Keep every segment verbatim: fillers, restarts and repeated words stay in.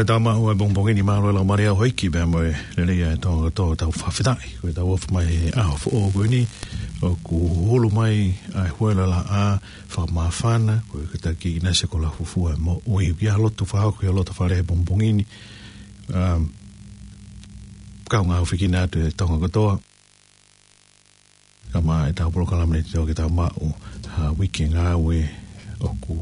Tau maʻu e pongipongi ni, mālō e laumālie ʻa e ʻEiki pea mo e lelei ʻa e Tonga kotoa, tau fakafetaʻi ko e tau ofi mai he ʻaho foʻou ko eni, ʻoku hulu mai ʻa e huelo laʻā fakamāfana, ko e kātaki ʻInasi Kolafufua mo ui kia lotu fakahoko ʻi loto fale he pongipongi ni. Um, kau ngāue fekina atu e Tonga kotoa. Ka maʻa e tau polokalama ni te tau ke tau maʻu ha uike ngāue ʻoku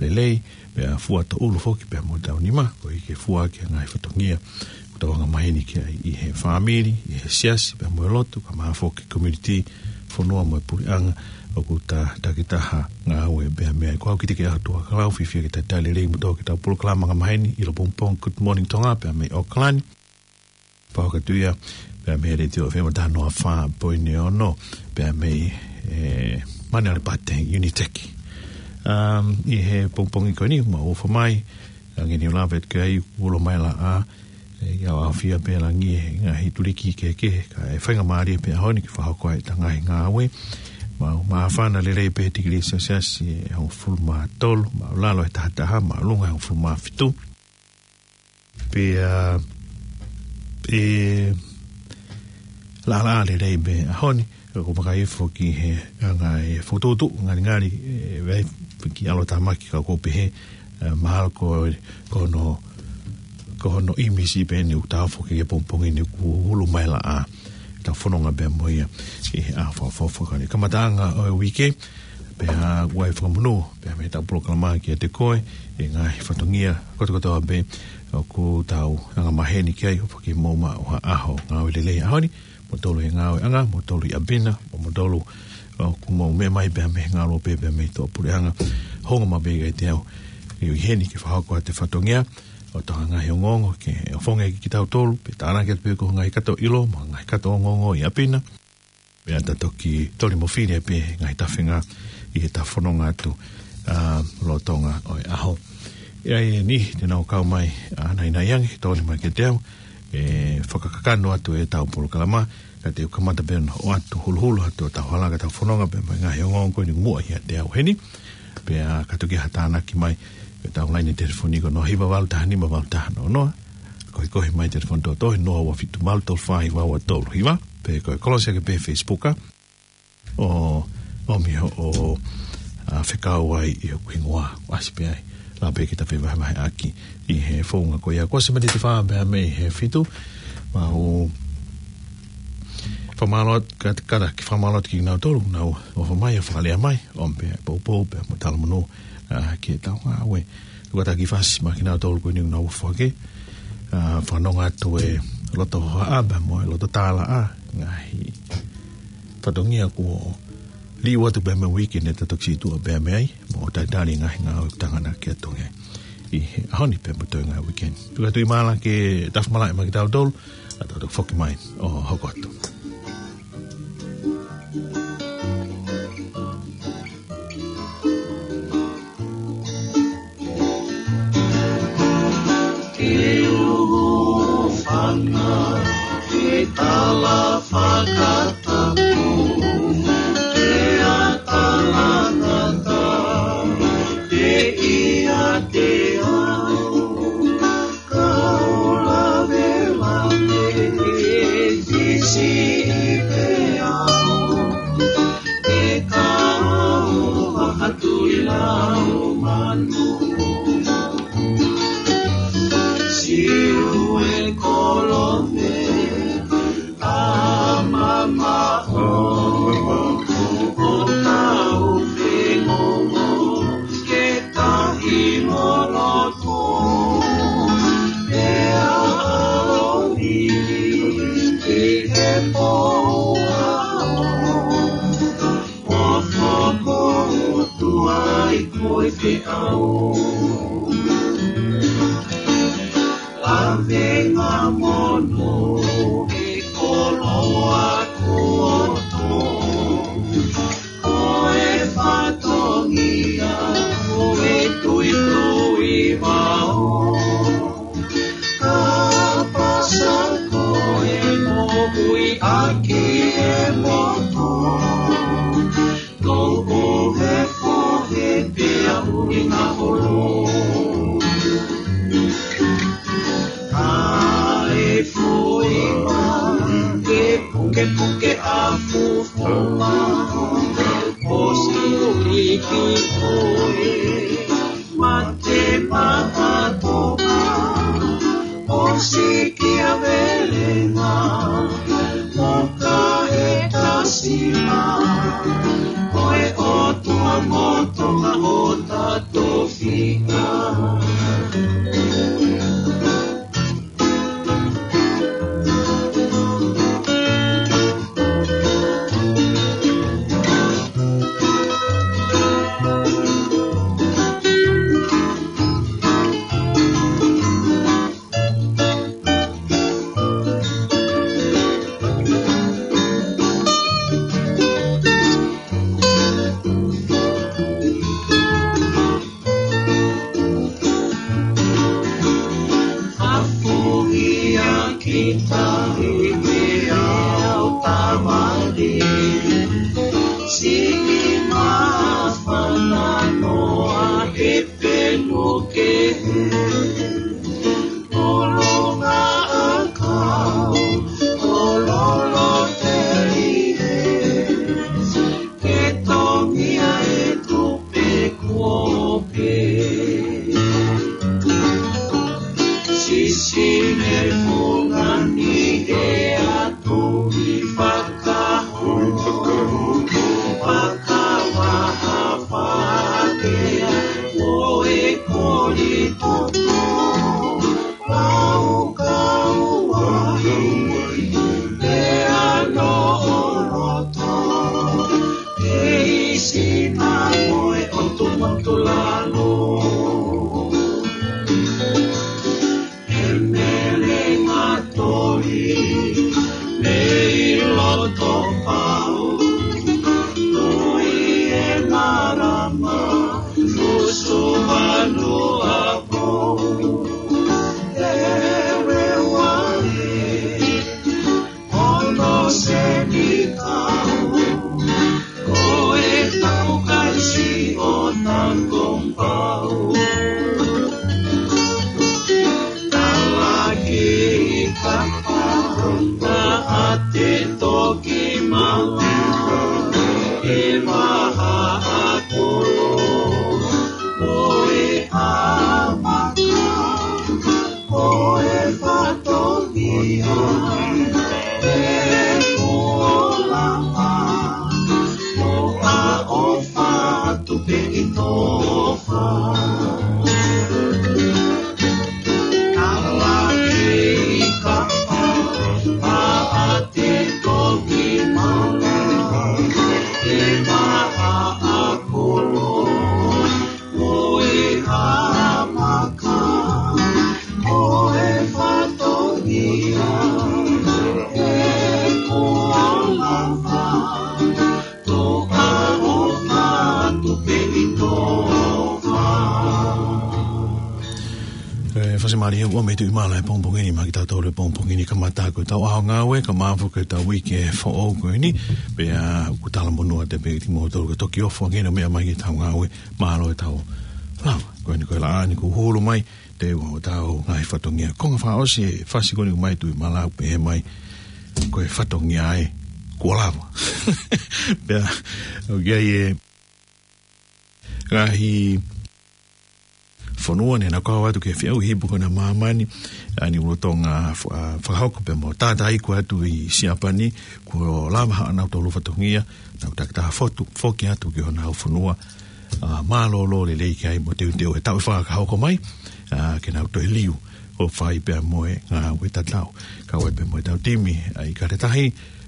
lelei, pea fua tōʻulu foki pea mo e tau nima, ko e ke fua ki he ngaahi fatongia ʻoku tau anga maheni ki ai ʻi he fāmili, ʻi he siasi, pea mo e lotu, ka maʻa foki community, fonua mo e puleʻanga, ʻoku ta takitaha ngāue pea mei ai. Ko au Kitike ʻAhotuʻa Kalau, fiefia ke talitali lelei mo tō ke tau polokalama anga maheni ʻi loto pongipongi, Good Morning Tonga, pea mei ʻAokalani. Pau ka tuia, pea mei he Letiō F M taha noa fā poini ono, pea mei, e, Manurewa Pate, Unitec. Um, ʻi he pongipongi ko eni, ma ofa mai, ange ni o lave ke ai, ulo mai laʻā, e, ia ʻaofia pē langi he ngaahi tuliki kehekehe, ka e faingamālie pē ʻaho ni ke fakahoko ai ʻeta ngaahi ngāue. Ma, māfana lelei pē tikilī selesiasi ʻe hongofulu mā tolu, māʻulalo ʻe taha taha, māʻolunga ʻe hongofulu mā fitu. Pea, e, laʻā lelei pē ʻaho ni, ka ko e maka ifo ki he anga e fokotuʻutuʻu ngalingali, e, vai ki ʻAlo Tāmaki ka ko e pehē, e, mahalo ko, ko hono, ko hono ʻīmisi pē eni ʻoku tau foki ki he pongipongi ni ʻoku hulu mai laʻā. Tau fononga pē mo ia ʻi he ʻaho fakaʻofoʻofa ko eni. Kamataʻanga ʻo e uike, pea ʻoku ʻi ai e fakamonū, pea mei he tau polokalama kiate koe, ʻi he ngaahi fatongia kotokotoa pē ʻoku tau anga maheni ki ai, ʻo fakahoko maʻu ha ʻaho ngāue lelei ʻaho ni, mo tolu he ngāueʻanga, mo tolu ʻi ʻapi na, mo, mo tolu ʻoku mou meʻa mai pea mei he ngāue pē, pea mei tuʻapuleʻanga, hounga maʻu pē kiate au, ʻi heni ke fakahoko atu e fatongia, ʻo tau ngaahi ongoongo, ke ʻofonga ki kitautolu, pea tānaki atu pē ko e ngaahi kato ʻilo, mo e ngaahi kato ongoongo ʻi ʻapi na, pea ta toki toli mo fili pē ngaahi tafenga ʻi he tau fononga atu, a, lolotonga ʻo e ʻaho. ʻE ʻi ai e niʻihi te nau kau mai, a, naʻinaʻi ange, toli mai kiate au, e fakakakano atu e tau polokalama, ka te u kamata pē ʻo ʻoatu huluhulu atu ʻo tau hala ka tau fononga pē mo e ngaahi ongoongo ko eni muʻa ʻiate au heni, pea ka toki ha tānaki mai, pea tau laine telefoni ko hono hiva valu taha nima valu taha noa noa, ko e kohi mai telefoni tōtō he noa ua fitu valu tolu fā hiva ua tolu hiva, pe ko e kolosi ake pē Facebook, a, ʻo, ʻomi hoʻo, a, fekau ai ʻi hoku hingoa, ʻasi pē ai, la pē ke ta fevahevaheʻaki ʻi he founga ko ia. Ko e semati te fā pea mei he fitu, ma u fakamālō atu, ka, ka ki fakamālō atu kinautolu, nau ofa mai, ʻo fakalea mai, ʻomi pē poupou, pea mo talamonū, a, ki he tau ngāue. Ko e kātaki fasi maʻa kinautolu ko eni ʻoku nau ofa ke, a, fanongo atu e loto hohaʻa pea mo e loto tālaʻa, ngaahi fatongia kuo liu atu pē mei he uike ni ta toki situʻa pē mei ai, mo talitali ngaahi ngāue ʻoku tau anga ke ʻaonga ʻi he ʻaho ni pea mo e toe ngaahi uike ni. Tuku atu ʻi māla ke tafa malaʻe maʻa kitautolu, a tau toki foki mai ʻo hoko atu. Ke u hūfanga he tala fakatapu, ke atalangata, ke ʻiate au, ka u lavelave, ke siʻi pē au, ke kau atu ʻi lau manu. Siu e kolope, a mamaʻo, ʻo tau fengongo, ke tahi mo loto, pea ʻaloʻi, ki he pō ʻaho. ʻO fakaʻotua ʻi koe feʻao. Lavenga mono ʻi koloa koto. Ko e fatongia ko e tuitui vao. Ka pasa ko e moʻui ʻaki e moto, tou ʻohe fohe pea ui na olo. Puke a fufu ma, o si uri ki koe, mate ma a toka, o si ki a velenga, moka e kasima, ko e ʻOtua mo Tonga ʻo ta tofiʻa. Afuhi a kita i mea o tamani. Sini mafana noa e penuke. Olonga akau, ololo telie. Ke tongia e tupe kuo pē. Sisine fungani e atu i fakahu. Fakavaha fatea o e koli toto. Pau kau ai, pea no oloto, e isi na moe o tumatulalo. E melenga toli, mei loto pau, tui e marama, Nusu manu apo, ewe wale, ono senikau, ko e tau kaisi o Tangompau. Talaki kapa, ta ate toki mala, e maha akolo, o e amaka, o e fatongia, e kuo lava, o a o fatu pe i tofa. Ala ke i kapa, a a te toki mala, e maha akolo, o e amaka, o e fatongia, e kuo lava, to a o fatu pe i tofa. E, fasi mali he ua me tu i mala e pongipongi ni, ma ki tau tau le pongipongi ni, kamata ko tau ʻaho ngāue, ka mafu ko tau uike foʻou ko eni, pea ʻoku talamonū atu pē kimoutolu ko e toki ʻofa ange no meʻa mai ki tau ngāue, mālō e tau lava. Ko eni ko e laʻā ni kuo hulu mai, te ua o tau ngaahi fatongia. Konga fakaʻosi e fasi ko eni mai tu i mala pehē mai, ko e fatongia e kuo lava. Pea, ʻoku ʻi ai e ngaahi fonua ne na kau atu ke feʻauhi pē ko ena ʻa māmani, ʻa eni ʻoku lolotonga fa-, fakahoko pea mo tātā iku atu ʻi Siapani, kuo lava haʻanautolu fatongia, nau takitaha fotu, foki atu ki honau fonua, ʻa, mālōlō lelei ki ai mo teuteu e taʻu ʻe fā ka hoko mai, ʻa, ke nau toe liu ʻo fai pea mo e ngāue tatau. Kau ai pea mo e tau timi, ʻa, ʻi Kaletahi,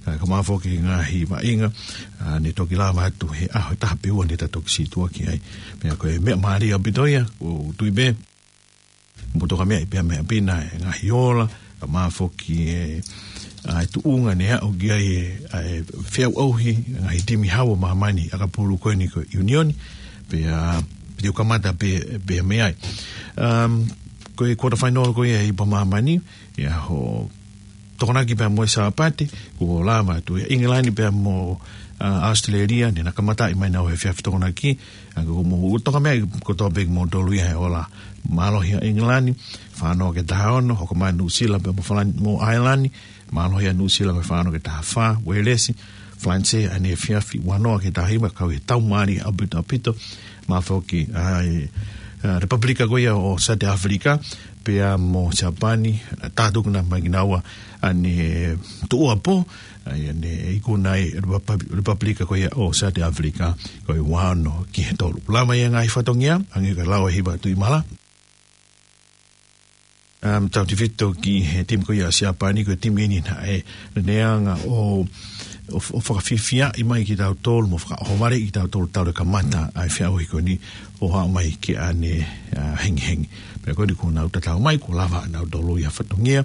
ʻa, ka mafoki ngaahi vaʻinga, ʻa, ne toki lava atu he ʻaho ʻe taha pe ua ne ta toki sītuʻa ki ai. Pea ko e meʻa mālie ʻaupito ia, ʻoku ou tui pē, mo toka meʻa i pea meʻa pina e ngaahi ola, ka mafoki e, ʻa, e tuʻunga ne aʻu ki ai e, ʻa, e feʻauhi, ngaahi timi hau ʻo māmani, ʻakapulu ko eni ko e ʻiunioni, pea, pea te u kamata pē, pē mei ai. Um, ko e quarter final ko ia ʻi pea māmani, ʻi he ʻaho Tokonaki pea mo e Sāpate, kuo lava atu ʻi ʻIngilani pea mo, ʻa ʻAositelēlia, ne na kamataʻi mai ʻenau efiafi Tokonaki, ʻa ko mo, toka mea ko tō pē mo tolu ia he ola. Mālohi ʻa ʻIngilani, fānau ke taha ono, hoko mai Nuʻusila pea mo Falan-, mo ʻAilani, mālohi ʻa Nuʻusila ko e fānau ke taha fā, Uēlesi, Falanisē, ʻa ʻene efiafi ua noa ke taha hiva, kau he tau mālie ʻaupito ʻaupito, mo e foki, ʻa e, ʻa, Lepapulika ko ia ʻo South Africa, pea mo Siapani, ʻa, tātuku na mai kinaua, ʻa ʻene tuʻuapō, ʻa ia ne ikuna ai, Lepap-, Lepapulika ko ia ʻo South Africa, ko e ua ono ki he tolu. Lava ia ngaahi fatongia, ʻa ia ko e lau ʻe hiva Tuʻimala. Um, tautefito ki he timi ko ia Siapani, ko e timi eni naʻe, ne anga ʻo, ʻo, ʻo fakafiefia ʻi mai kitautolu, mo fakaʻohovale kitautolu talu e kamata ʻa e feʻauhi ko eni ʻo haʻu mai ki ʻanehengihengi. Pea ko eni kuo nau tatau mai, kuo lava ʻa nautolu ia fatongia.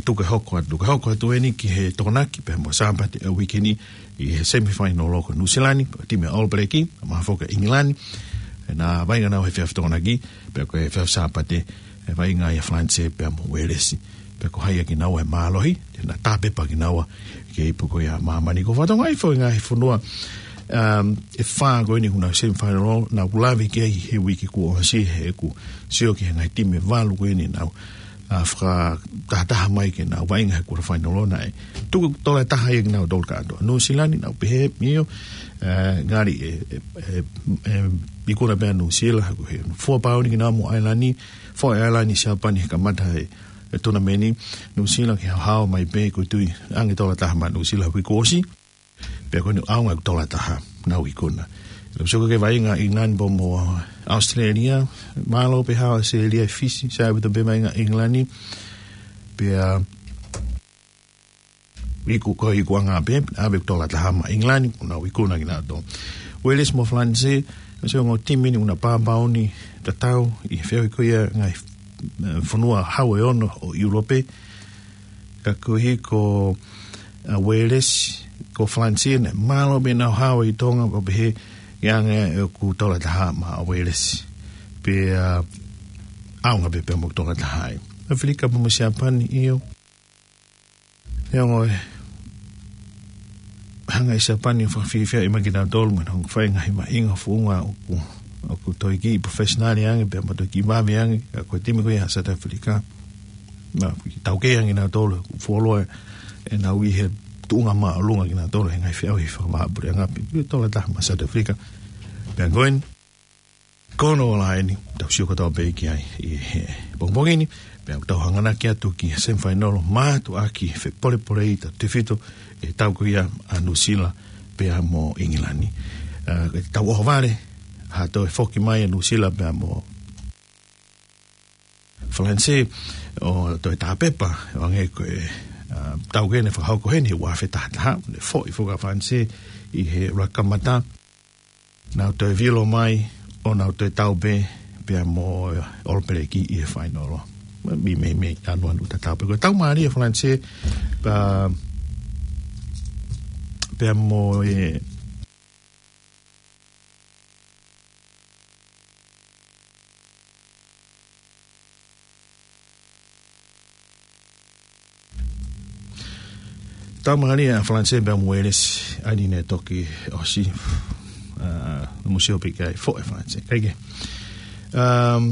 Tuku ke hoko atu, tuku ke hoko atu eni ki he Tokonaki, pea mo Sāpate ʻa e uike ni, ʻi he semifinal ʻo ko Nuʻusila ni, timi ʻa All Black, mo e foki ʻa ʻIngilani, ʻe na vaʻinga nau he efiafi Tokonaki, pea ko e efiafi Sāpate, ʻe vaʻinga ai ʻa Falanisē pea mo Uēlesi. Pea ko hai ʻa kinaua ʻe mālohi, te na tāpepa kinaua ki he ipu ko ia ʻa māmani. Ko e fatongia foʻi ngaahi fonua, um, ʻe fā ko eni ʻoku nau semifinal, naʻa ku lave ki ai he uike kuo ʻosi he ʻeku sio ki he ngaahi timi ʻe valu ko eni naʻa nau, ʻa, fakatahataha mai ke nau vaʻinga he quarter final naʻe tuku tola taha ia kinautolu kātoa. Nuʻusila ni naʻa ku pehē, ʻio, ʻa, ngali ʻe, ʻe, ʻe, ʻe, ikuna pē ʻa Nuʻusila, he fua pau ni kinaua mo ʻAilani, fua ʻAilani Siapani he kamata he, he tunameni. Nuʻusila ke haohaoa mai pē, ko e tui ange tola taha maʻa Nuʻusila he uike kuo ʻosi. Pea ko eni ʻaonga ʻeku tola taha, nau ikuna. Lo soko ke vaʻinga ʻIngilani pea mo ʻAositelēlia, mālō pē haʻu ʻAositelēlia ʻi Fisi, sai ʻaupito pē vaʻinga ʻIngilani. Pea iku ko e ikuʻanga pē, ʻave ʻeku tola taha maʻa ʻIngilani, kuo nau ikuna kinautolu. Uēlesi mo Falanisē, ʻa e ongo timi ni ʻoku na pāpaoni tatau ʻi he feʻauhi ko ia ngaahi, eh, fonua hau ʻe ono ʻo ʻIulope. Ka koeʻuhi ko, ʻa, Uēlesi, ko Falanisē naʻe mālō pē ʻenau haohaoa ʻi Tonga, pea pehē ʻe anga ʻeku tola taha maʻa Uēlesi. Pea, ʻa, ʻaonga pē pea mo e tola taha ai. ʻAfilika pea mo Siapani, ʻio. Neongo e hanga ʻe Siapani ʻo fakafiefia ʻi mai kinautolu, mo nau fai ngaahi vaʻinga founga ʻoku, ʻoku toe kiʻi professional ange, pea mo toe kiʻi vave ange, ka ko e timi ko ia ʻa South Africa. Naʻe taukei ange nautolu, fuoloa ʻenau ʻi he tuʻunga māʻolunga kinautolu he ngaahi feʻauhi fakavahaʻapuleʻanga pē, tola taha maʻa South Africa. Pea ko eni, ko hono ola eni, tau sio kotoa pē ki ai ʻi he pongipongi ni, pea tau hanganaki atu ki he semifinal, mātuʻaki fepōlepole ʻi he tautefito ʻe tau ko ia ʻa Nuʻusila pea mo ʻIngilani. ʻA, tau ʻohovale, ha toe foki mai ʻa Nuʻusila pea mo Falanisē, ʻo toe tāpepa, ʻo hangē ko e, ʻa, tau ko eni fakahoko heni, ua afe taha taha, ne foʻi foki ʻa Falanisē ʻi he ʻuluaki kamata, nau toe vilo mai, ʻo nau toe tau pē, pea mo, ʻa, All Black ʻi he final. Mei, mei, mei, anu, anu, tatau pē. Ko e tau mālie ʻa Falanisē, pea, pea mo, ʻe, tau mālie ʻa Falanisē pea mo Uēlesi, ʻa eni ne toki ʻosi, ʻa, mo sio pē ki ai foʻi ʻa Falanisē. Kae kehe. Um,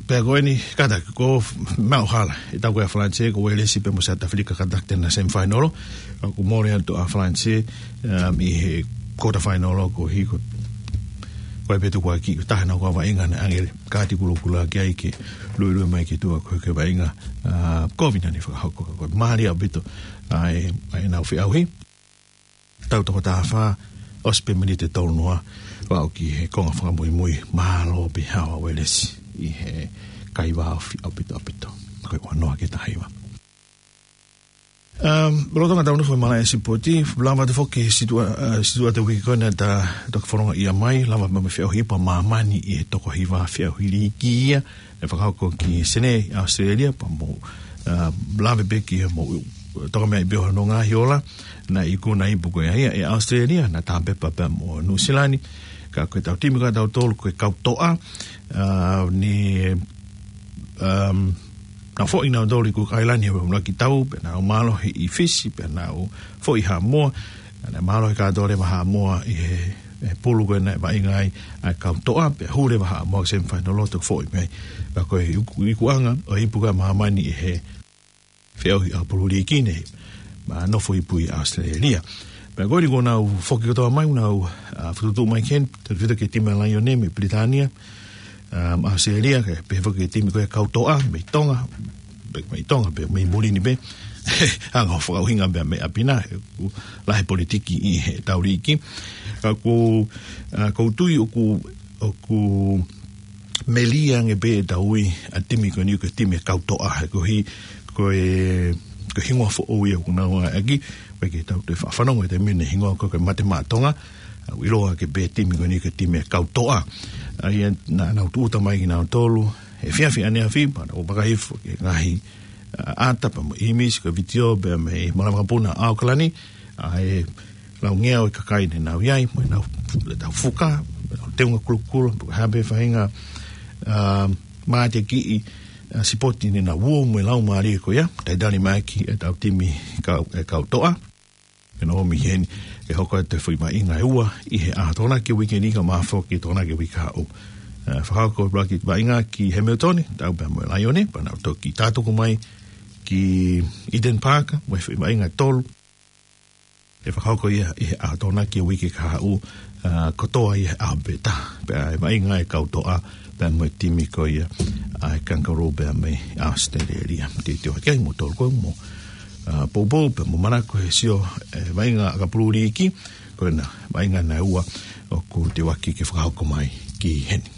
pea ko eni, kātaki, ko e maʻu hala ʻe tau ko ia ʻa Falanisē, ko Uēlesi pea mo South Africa, kātaki te na semifinal. ʻOku mole atu ʻa Falanisē, um, ʻi he quarter final koeʻuhi ko, ko e pē tukuakiʻi, ko e taha ʻenau kau vaʻinga naʻe ʻange kāti kulokula ki ai ke luelue mai ki tuʻa ko e, ko e vaʻinga, ʻa, kovi naʻa ne fakahoko, ko e mālie ʻaupito ʻa e, ʻa ʻenau feʻauhi. Tau toko taha fā, ʻosi pē miniti ʻe tolu noa, ʻo aʻu ki he konga fakamuimui, mālō pē haohaoa ʻa Uēlesi ʻi he kaivao ofi ʻaupito ʻaupito. Ko e ua noa ki he taha hiva. Um, lolotonga ʻetau nofo he malaʻe sipoti, lava atu foki he situʻa, ʻa, situʻa ʻo e uike ko eni naʻa ta toki fononga ia mai, lava mo e feʻauhi ipu ʻa māmani ʻi he toko hiva feʻauhi liiki ia, ʻe fakahoko ki Senē, ʻAositelēlia, pea mo, ʻa, lave pē ki he mo, toka mei ai pē hono ngaahi ola, naʻe ikuna ipu ko ia ʻe ʻAositelēlia, naʻe tāpepa pea mo Nuʻusila ni, ka ko e tau timi ko ia ʻa tautolu, ko e kau toʻa, ʻa, ni, um, naʻa foʻi nautolu ʻi Cook Island he ʻuluaki tau, pea naʻa nau mālohi ʻi Fisi, pea naʻa nau foʻi Haʻamoa, naʻa nau mālohi kātoa leva Haʻamoa ʻi he, he pulu ko ē naʻe vaʻinga ai ʻa e kau toʻa, pea hū leva Haʻamoa ki he semifinal loto foʻi mei ai. Pea ko e iku, ikuʻanga ʻo e ipu ko ē ʻa māmani ʻi he feʻauhi ʻakapulu liiki ni, ma nofo ipu ʻi ʻAositelēlia. Pea ko eni kuo nau foki kotoa mai, nau, ʻa, fokotuʻu mai ki heni, tautefito ki he timi ʻa Laione mei Pilitānia, ʻa, ʻAositelēlia, kae pehē foki ki he timi ko ē kau toʻa, mei Tonga, pe, mei Tonga, pe mei muli ni pē, anga ʻo fakaʻuhinga pea mei ʻapi na, he ʻoku lahi politiki ʻi he tau liiki. Ka ʻoku, ʻa, ʻoku ou tui ʻoku, ʻoku melie ange pē ʻetau ui ʻa e timi ko eni ko e timi ʻa e kau toʻa, he ko e, ko e, ko e hingoa foʻou ia ʻoku nau ʻai ʻaki, ʻoku ʻikai ke tau toe faʻa fanongo he taimi ni e hingoa ko ē ko e Mate Maʻa Tonga, ʻa, ʻoku ʻiloa ʻaki pē timi ko eni ko e timi ʻa e kau toʻa. ʻA ia naʻa nau tūʻuta mai kinautolu, he efiafi ʻaneafi, pea nau fakahifo ki he ngaahi, ʻa, ʻata pea mo e ʻīmisi, ko e vitiō, pea mei he Malaʻe Vakapuna ʻAokalani, ʻa e laungeau ʻo e kakai naʻa nau ʻi ai, mo ʻenau, ʻetau fuka, mo ʻenau teunga kulokula, pe ko e hā pē faʻahinga, ʻa, mateakiʻi, ʻa, sipoti naʻa nau ō mo e laumālie ko ia, talitali mai ʻaki ʻetau timi kau, ʻa e kau toʻa. Ke nau ō mai heni, ke hoko atu e foʻi vaʻinga ʻe ua, ʻi he ʻaho Tokonaki uike ni kae ʻumaʻā foki Tokonaki uike kahaʻu. ʻA, fakahoko e ʻuluaki vaʻinga ki Hamilton, tau pea mo e Laione, pea nau toki tātuku mai ki Eden Park, mo e foʻi vaʻinga ʻe tolu. ʻE fakahoko ia ʻi he ʻaho Tokonaki uike kahaʻu, ʻa, kotoa ia he ʻaho pē taha. Pea ʻe vaʻinga e kau toʻa, pea mo e timi ko ia ʻa e Kangaroo pea mei ʻAositelēlia. Teuteu hake ai mo tolu ko mo, ʻa, poupou pea mo manako he sio, ʻe, vaʻinga ʻakapulu liiki, ko ena vaʻinga naʻe ua ʻoku teuaki ke fakahoko mai ki heni.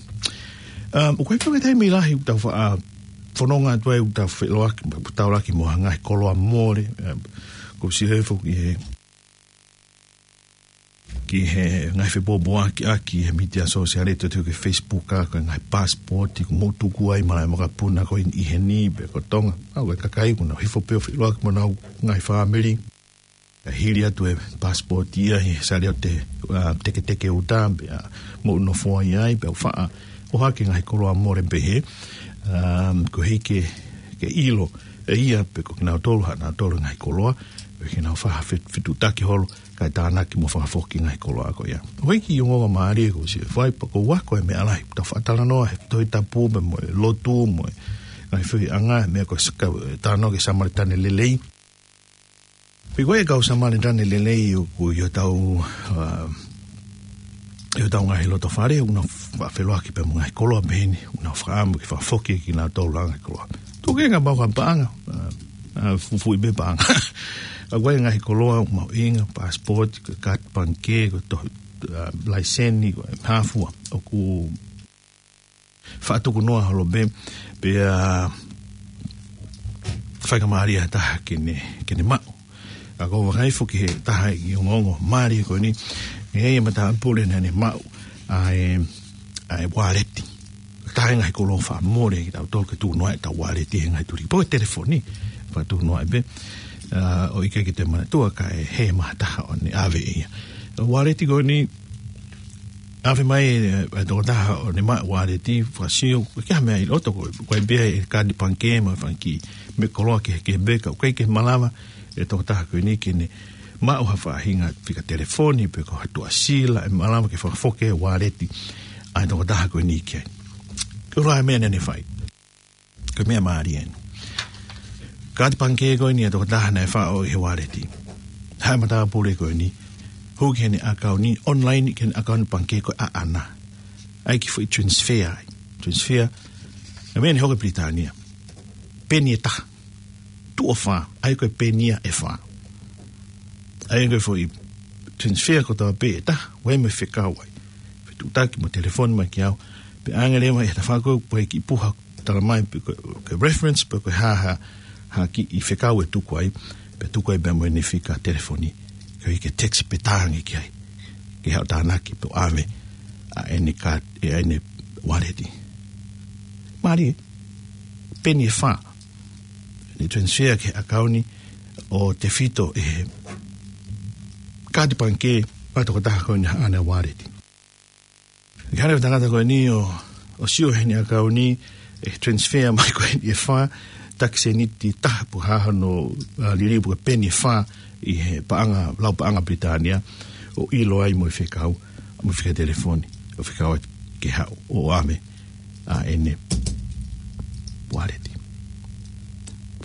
ʻA, ʻoku ʻikai ke toe taimi lahi ʻoku tau faʻa fononga atu ai ʻoku tau feʻiloaki, ʻoku tau laki mo ha ngaahi koloa mole, ʻa, ʻoku ou sio hifo ki he ki he ngaahi fepoupouaki ʻaki he mītia sōsiale, tau teu ki he Facebook, ʻa, ko e ngaahi pasipoti kuo mou tuku ai Malaʻe Vakapuna ko eni ʻi heni pe ko Tonga. ʻA, ko e kakai kuo nau hifo pē ʻo feʻiloaki mo honau ngaahi fāmili. Kae hili atu e pasipoti ia he saliote, ʻa, teketeke uta, pea mou nofo ai ai, pea faʻa ʻohake ngaahi koloa mole pehē, ʻa, koeʻuhi ke, ke ʻilo ʻe ia pe ko kinautolu haʻanautolu ngaahi koloa, koeʻuhi ke nau faʻa fe-, fetuʻutaki holo, kae tānaki mo fakafoki ngaahi koloa ko ia. ʻOku ʻi ai e kiʻi ongoongo mālie ʻoku ou sio hifo ai, pea ʻoku ou ako e meʻa lahi, tau faʻa talanoa he Tohi Tapu pea mo e lotu, mo e ngaahi feohiʻanga, meʻa ko e sa-, ka-, talanoa ki he Samēlitane lelei. Pea ko e kau Samēlitane lelei ʻoku ʻi hotau, ʻa, ʻi hotau ngaahi loto fale, ʻoku nau faʻa feʻiloaki pea mo e ngaahi koloa pehē ni, ʻoku nau fakaʻamu ke fakafoki kinautolu ʻa e ngaahi koloa. Tuku ke ngaahi pau ka paʻanga, ʻa, ʻa, fufuʻi pē paʻanga. ʻA, ko e ngaahi koloa ʻoku mahuʻinga, pasipoti, ko e kaati pangikē, ko e tohi, ʻa, laiseni, ko e hā fua, ʻoku faʻa tuku noa holo pē, pea fai ka mālie ha taha ke ne, ke ne maʻu. ʻA, ʻoku ou vakai foki he taha e kiʻi ongoongo mālie ko eni, ʻe ʻi ai e matāpule naʻa ne maʻu ʻa e, ʻa e uāleti. Taha e ngaahi koloa faʻa mole kitautolu ke tuku noa ʻetau uāleti he ngaahi tuli. Pe ko e telefoni, faʻa tuku noa pē, ʻa, ʻoku ʻikai ke te manatua kae hē mai ha taha ʻo ne ʻave ia. Uāleti ko eni, ʻave mai, ʻe, e tokotaha ʻo ne maʻu e uāleti, fakasio, ʻoku ʻikai ha meʻa ʻi loto, ko e, ko e pē ʻa e kaati pangikē mo e fanga kiʻi meʻa koloa kehekehe pē, ka ʻoku ʻikai ke malava e tokotaha ko eni ke ne maʻu ha faʻahinga fika telefoni, pe ko ha tuʻasila, ʻe malava ke fakafoki e uāleti ʻa e tokotaha ko eni ki ai. Ko e hā e meʻa naʻa ne fai? Ko e meʻa mālie eni. Kaati pangikē ko eni ʻa e tokotaha naʻe faʻo ʻi he uāleti. Haʻu e matāpule ko eni, hū ki heʻene ʻakauni, online ki heʻene ʻakauni pangikē ko ē ʻaʻana. ʻAi e kiʻi foʻi transfer ai. Transfer, ʻa e meʻa naʻe hoko ʻi Pilitānia. Peni ʻe taha. Tuʻo fā, ʻai ko e peni ia ʻe fā. ʻAi ko e foʻi transfer kotoa pē ʻe taha, ʻoku ʻi ai mo e fekau ai. Fetuʻutaki mo e telefoni mai kiate au. Pea ʻange leva ʻe he tafaʻaki ko ē kiʻi puha, tala mai pe ko e, ko e reference, pe ko e hā ha, ha kiʻi fekau ʻe tuku ai, pea tuku ai pea mo ʻene fika telefoni. Koeʻuhi ke text pe tā ange ki ai, ke haʻu ʻo tānaki pe ʻave ʻa ʻene kaati, ʻa ʻene uāleti. Mālie, peni ʻe fā. Ne transfer ki he ʻakauni ʻo tefito ʻe he kaati pangikē ʻa e tokotaha ko eni ʻaʻana e uāleti. Naʻe hanga ʻe he tangata ko eni ʻo, ʻo sio heʻene ʻakauni, ʻe transfer mai ko eni ʻe fā, taki sēniti ʻe taha pe ko e hā hono, ā, liliu pe ko e peni ʻe fā ʻi he paʻanga, lau paʻanga Pilitānia, ʻo ʻilo ai mo e fekau, mo e fika telefoni, ʻo fekau atu ke haʻu ʻo ʻave ʻa ʻene ualeti.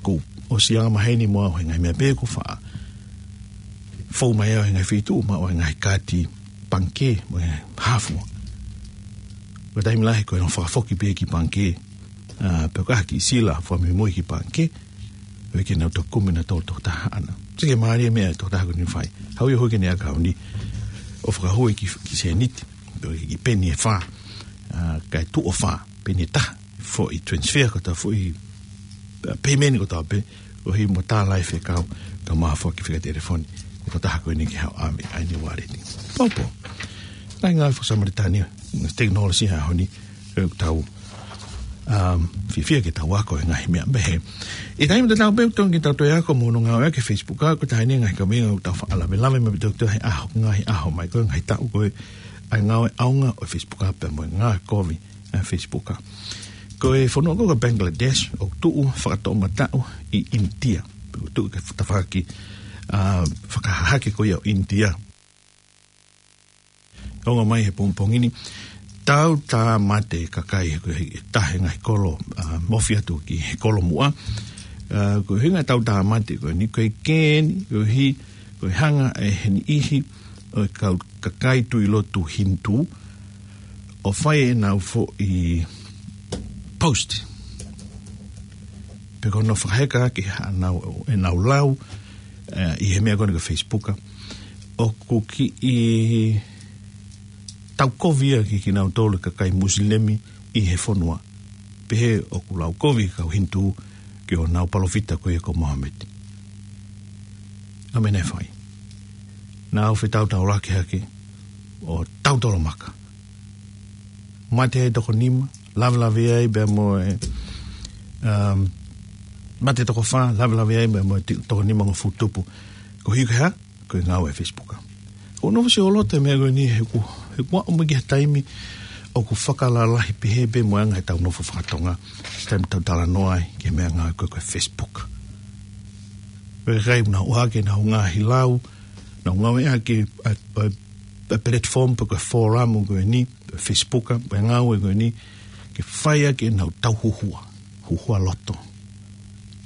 Kuo ʻosi angamaheni muʻa ʻa e ngaahi meʻa pē kuo faʻa fou mai ʻa e ngaahi feituʻu, maʻu ʻa e ngaahi kaati pangikē, mo e hā fua. Ko e taimi lahi ko ʻenau fakafoki pē ki pangikē, ā, pe ko e kiʻi sila fakamuimui ki pangikē, ʻo ʻikai ke nau toki kumi ʻenautolu tokotaha ʻaʻana. Sio ki he mālie meʻa ʻa e tokotaha ko eni ʻoku fai. Haʻu ia ʻo hū ki heʻene ʻakauni, ʻo fakahū ia ki, ki sēniti, pe ko e kiʻi peni ʻe fā, ā, kae tuʻu ʻo fā, peni ʻe taha, foʻi transfer kotoa, foʻi, ā, payment kotoa pē, ʻo hiki mo tā lahi fekau, kae ʻumaʻā foki e fika telefoni ʻo e tokotaha ko eni ke haʻu ʻo ʻave ʻa ʻene ualeti. Poupou. Ngaahi ngāue fakasamalitani, tekinolosia he ʻaho ni, ʻoku tau, um, fiefia ke tau ako e ngaahi meʻa pehē. ʻI he taimi tatau pē ʻoku totonu ke tau toe ako mo hono ngāueʻaki e Facebook, ā, ko e taha eni e ngaahi kaveinga ʻoku tau faʻa lavelave mai pē ʻo toe he ʻaho, ngaahi ʻaho mai, ko e ngaahi taʻu ko ē, ʻa e ngāue ʻaonga ʻo e Facebook pea mo e ngāue kovi ʻa e Facebook. Ko e fonua ko ē ko Bangladesh ʻoku tuʻu fakatoʻomataʻu ʻi ʻInitia. ʻOku tuʻu ki he tafaʻaki, ā, fakahahake ko ia ʻo ʻInitia. Ongo mai he pongipongi ni, tautāmate e kakai he, he taha e ngaahi kolo, ā, ofi atu ki he kolo muʻa. Ā, ko e ʻuhinga e tautāmate ko eni, ko e kē eni, koeʻuhi ko e hanga ʻe he niʻihi ʻo e kau kakai tui lotu Hinitū ʻo fai ʻenau foʻi post pe ko hono fakaheka ʻaki haʻanau, ʻenau lau, ē, ʻi he meʻa ko eni ko e Facebook. ʻOku kiʻi taukovi ia ki, kinautolu e kakai Musilemi ʻi he fonua. Pehē ʻoku lau kovi e kau Hinitū ki honau palōfita ko ia ko Mohamedi. ʻA e meʻa naʻe fai, nau fetautaulaki hake ʻo tautolomaka. Mate ai e toko nima, lavelave ai pea mo e, um, mate e toko fā, lavelave ai pea mo e ti-, toko nimangofulu tupu. Koeʻuhi ko e hā? Ko e ngāue ʻa e Facebook. ʻOku nofo siʻi ʻo loto e meʻa ko eni he ʻoku, he ʻoku aʻu mai ki he taimi ʻoku fakalalahi pehē pē mo e anga ʻetau nofo fakatonga, taimi tau talanoa ai ki he meʻangāue ko ē ko e Facebook. Ko e kakai ʻoku nau ʻohake ʻenau ngaahi lau, nau ngāueʻaki ʻa e, ʻa e, ʻa e platform pe ko e forum ko eni, Facebook, pe ngāue ko eni, ke fai ʻaki ʻenau tauhuhua, huhua loto.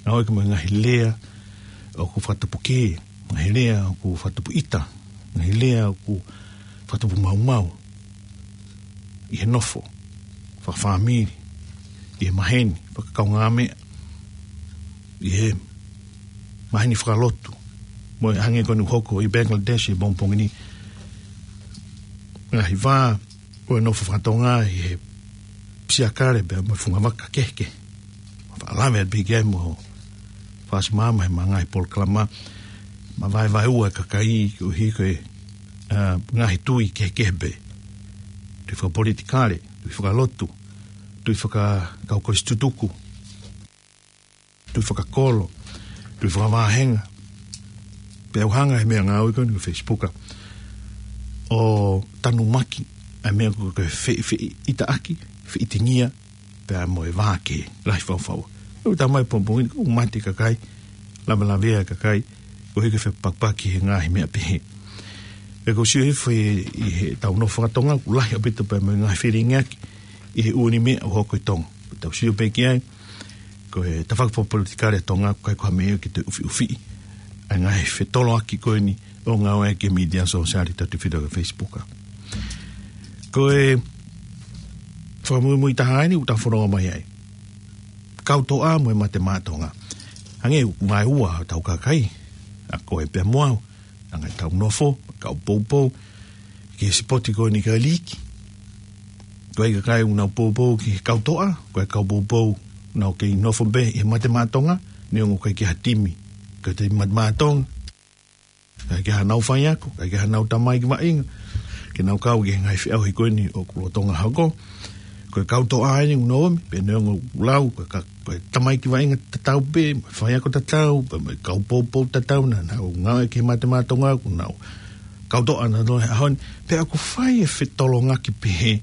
Ngāueʻaki mo e ngaahi lea ʻoku fakatupu kē, ngaahi lea ʻoku fakatupu ʻita, ngaahi lea ʻoku fakatupu maumau, ʻi he nofo fakafāmili, ʻi he maheni, fakakaungāmeʻa, ʻi he maheni fakalotu, mo e hangē ko eni ʻoku hoko ʻi Bangladesh he pongipongi ni. Ngaahi vā ʻo e nofo fakatonga ʻi he siakale pea mo e fungavaka kehekehe. Faʻa lave pē ki ai mo fasi maama he ngaahi polokalama, mavaevaeua e kakai koeʻuhi ko e, ā, ngaahi tui kehekehe pē. Tui fakapolitikale, tui fakalotu, tui fakakaukau kolisi tutuku, tui fakakolo, tui fakavāhenga. Pea ʻoku hanga ʻe he meʻangāue ko eni ko e Facebook ʻo tanumaki ʻa e meʻa ko e fe-, feʻitaʻaki, feʻitingia, pea mo e vākē, lahi faufaua. ʻOku tā mai pongipongi ni, ʻoku mate e kakai, lavelavea e kakai, koeʻuhi ko e fepakipaki he ngaahi meʻa pehē. Pea ʻoku ou sio hifo ʻi, ʻi heʻetau nofo fakatonga, ʻoku lahi ʻaupito pea mo e ngaahi felingiʻaki ʻi he ʻū meʻa ʻoku hoko ʻi Tonga. Tau sio pē ki ai, ko e tafaʻaki fakapolitikale ʻa Tonga, ʻoku ʻikai ko ha meʻa ke toe ʻufiʻufiʻi ʻa e ngaahi fetoloaki ko eni ʻoku ngāueʻaki e mītia sōsiale, tautefito ki he Facebook. Ko e fakamuimui taha eni ʻoku tau fononga mai ai. Kau toʻa mo e mate maʻa Tonga. Hangē ʻoku ngāue ua hotau kakai, ʻa koe pea mo au, anga ʻetau nofo, kau poupou ki he sipoti ko eni, ki he liiki. Ko e kakai ʻoku nau poupou ki he kau toʻa, ko e kau poupou ʻoku nau kei nofo pē ʻi he mate maʻa Tonga, neongo ʻoku ʻikai ke ʻi ai ha timi, ko e timi mate maʻa Tonga. ʻIkai ke ʻi ai hanau faiako, ʻikai ke ʻi ai hanau tamaiki vaʻinga ke nau kau ki he ngaahi feʻauhi ko eni ʻoku lolotonga hoko. Ko e kau toʻa eni ʻoku nau ō mai, pea neongo ʻoku lau, ko e ka-, ko e tamaiki vaʻinga tatau pē, mo e faiako tatau, pea mo e kau poupou tatau naʻa nau ngāue ki he mate maʻa Tonga, ʻoku nau kau toʻa naʻa nau he ʻaho ni, pea ʻoku fai e fetolongaki pehē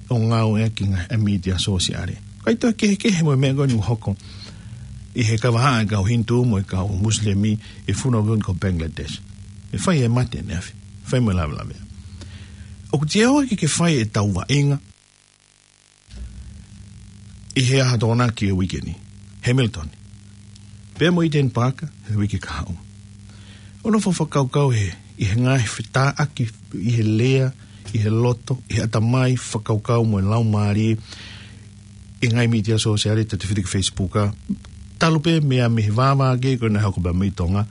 ʻo ngāueʻaki e ngaahi mītia sōsiale. ʻIkai toe kehekehe mo e meʻa ko eni ʻoku hoko ʻi he kavahaʻa e kau Hinitū mo e kau Musilemi ʻi he fonua ko Bangladesh. ʻE fai e mate ʻaneafi, fai mo e lavelavea. ʻOku teʻeki ke fai ʻetau vaʻinga ʻi he ʻaho Tokonaki e uike ni, Hamilton, pea mo Eden Park he uike kahaʻu. ʻO nofo fakakaukau he, ʻi he ngaahi fetāʻaki, ʻi he lea, ʻi he loto, ʻi he ʻatamai, fakakaukau mo e laumālie, ʻi he ngaahi mītia sōsiale, tatau ai ki he Facebook, talu pē meʻa mei he vāvākē ko ē naʻe hoko pē mei Tonga,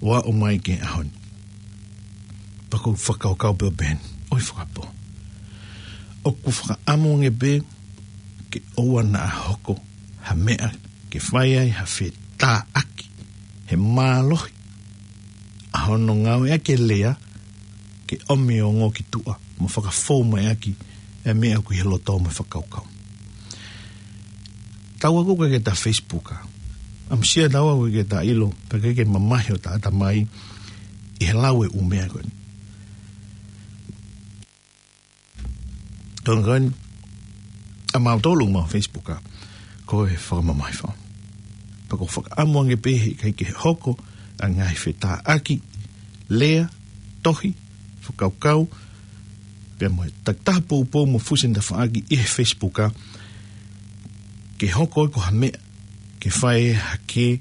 ʻo aʻu mai ki he ʻaho ni. Pea ʻoku ou fakakaukau pē ʻo pehē ni, ʻoi fakapō, ʻoku fakaʻamu ange pē ke ʻoua naʻa hoko ha meʻa ke fai ai ha fetāʻaki he mālohi ʻa hono ngāueʻaki e lea ke ʻomi e ongo ki tuʻa mo fakafou mai ʻaki e meʻa ʻoku ʻi he loto mo e fakakaukau. Tau ako ko ē ki heʻeta Facebook, ʻamusia tau ako ki heʻeta ʻilo, pea ke ke mamahi hota ʻatamai ʻi he lau e ʻū meʻa ko eni. Tongkoni, ʻa mautolu mo Facebook, ko e fakamamahi fau. Pea ʻoku fakaʻamu ange pē he ʻikai ke hoko ʻa e ngaahi fetāʻaki, lea, tohi, fakakaukau, pea mo e takitaha poupou mo fusi tafaʻaki ʻi he Facebook, ke hoko ko ha meʻa ke fai hake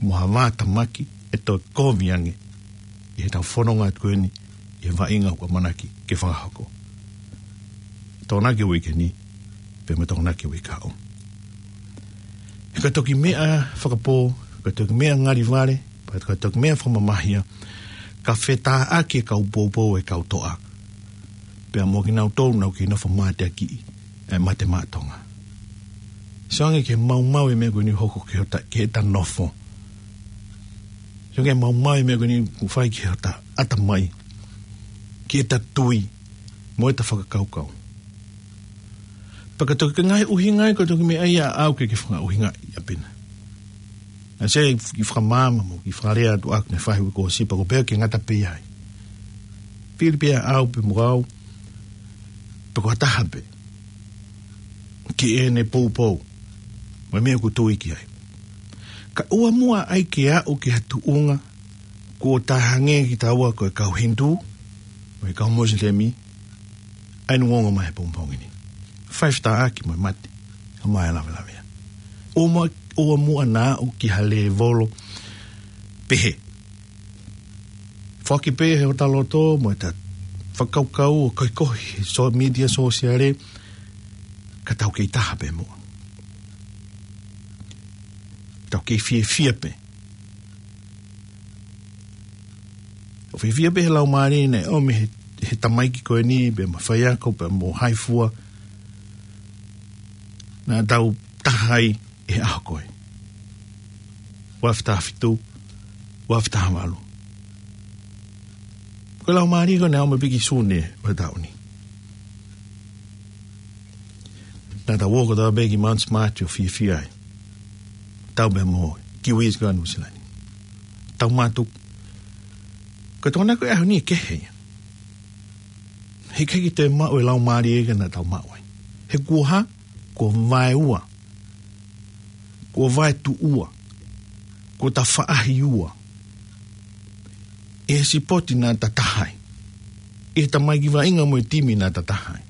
mo ha vātamaki ʻe toe kovi ange ʻi heʻetau fononga atu ko eni ʻi he vaʻinga ʻoku ʻamanaki ke fakahoko Tokonaki uike ni, pea mo Tokonaki uike kahaʻu. He ka toki meʻa fakapō, ka toki meʻa ngalivale, pea ka toki meʻa fakamamahia, ka fetāʻaki e kau poupou e kau toʻa, pea mo kinautolu naʻa nau kei nofo mateakiʻi e mate maʻa Tonga. Sio ange ki he maumau e meʻa ko eni ʻoku hoko ki hota, ki heʻeta nofo. Sio ange ki he maumau e meʻa ko eni ʻoku fai ki hota ʻatamai, ki heʻeta tui, mo ʻeta fakakaukau. Pea ka toki ngaahi ʻuhinga ia, ka toki meʻa ia ʻaʻau ke ke fakaʻuhingaʻi ʻa pena. ʻA e kiʻi fakamaama mo e kiʻi fakalea atu ʻaʻaku naʻe fai he uike kuo ʻosi, pea ʻoku ou pehē ʻoku ngata pē ai. Fili pē ʻaʻau pē mo au, pe ko ha taha pē, ki heʻene poupou mo e meʻa ʻoku tui ki ai. Kae ʻoua muʻa ai ke aʻu ki ha tuʻunga kuo tā hangē kitaua ko e kau Hinitū mo e kau Musilemi, ʻa eni ʻoku ongo mai he pongipongi ni. Fai fetāʻaki mo e mate, ʻomai e lavelavea. ʻOua muʻa, ʻoua muʻa naʻa aʻu ki ha lēvolo pehē. Foaki pē ʻe hota loto mo ʻeta fakakaukau ʻo kohikohi he sō-, mītia sōsiale, ka tau kei taha pē muʻa. Tau kei fiefia pē. ʻO fiefia pē he laumālie naʻe ʻomi he, he tamaiki ko eni, pea mo e faiako, pea mo hai fua, naʻa tau taha ai he ʻaho ko ē. Ua afe taha fitu, ua afe taha valu. Ko e laumālie ko ē naʻe ʻomi pē ki Sune ʻo e taʻu ni. Naʻa tau ō kotoa pē ki Mount Smart ʻo fiefia ai. Tau pē mo e Kiwis ko ē ʻa Nuʻusila ni. Tau mātuku. Ko e Tokonaki ʻo e ʻaho ni ʻe kehe ia. He ʻikai ke toe maʻu e laumālie ko ē naʻa tau maʻu ai. He kuo hā, kuo vaeua, kuo vaetuʻua, kuo tafaʻahiua ʻe he sipoti naʻa ta taha ai, ʻe he tamaiki vaʻinga mo e timi naʻa ta taha ai.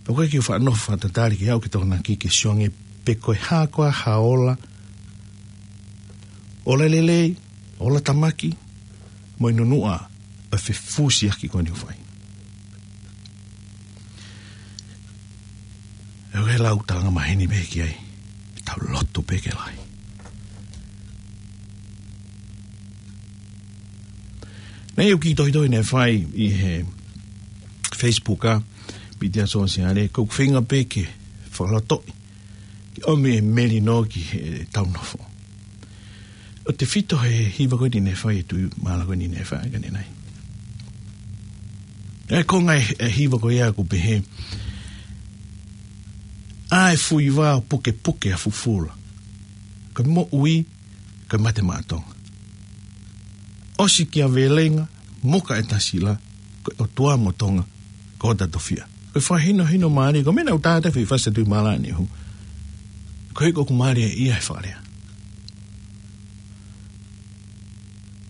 Pea ʻoku ʻikai ke u faʻa nofo fakatatali ke aʻu ki Tokonaki ke sio ange pe ko e hā koā ha ola, ola lelei, ola tāmaki, mo e nunuʻa ʻa e fefusiaki ko eni ʻoku fai. ʻE ʻoku ʻi ai e lau tanga maheni pē ki ai, tau lotu pē ke lahi. Naʻe ʻi ai e kiʻi tohitohi naʻe fai ʻi he Facebook, ʻa e mītia sōsiale, ʻoku ou feinga pē ke fakalotoʻi, ke ʻomi e melino ki heʻetau nofo. ʻOku tefito he hiva ko eni naʻe fai ʻe Tuʻimālā ko eni naʻe fai ʻanenai. ʻA e konga e, e hiva ko ia ʻoku pehē: ʻA e fuiva ʻo pukepuke ʻa fufula, ko e moʻui, ko e mate maʻa Tonga. ʻOsi kia Velenga, moka e tasila, ko e ʻOtua mo Tonga ko hota tofiʻa. Ko e fakahinohino mālie, ko e meʻa naʻa ku tātā fefasa Tuʻimālā ni hu. Ko e ʻoku mālie ia he fakalea.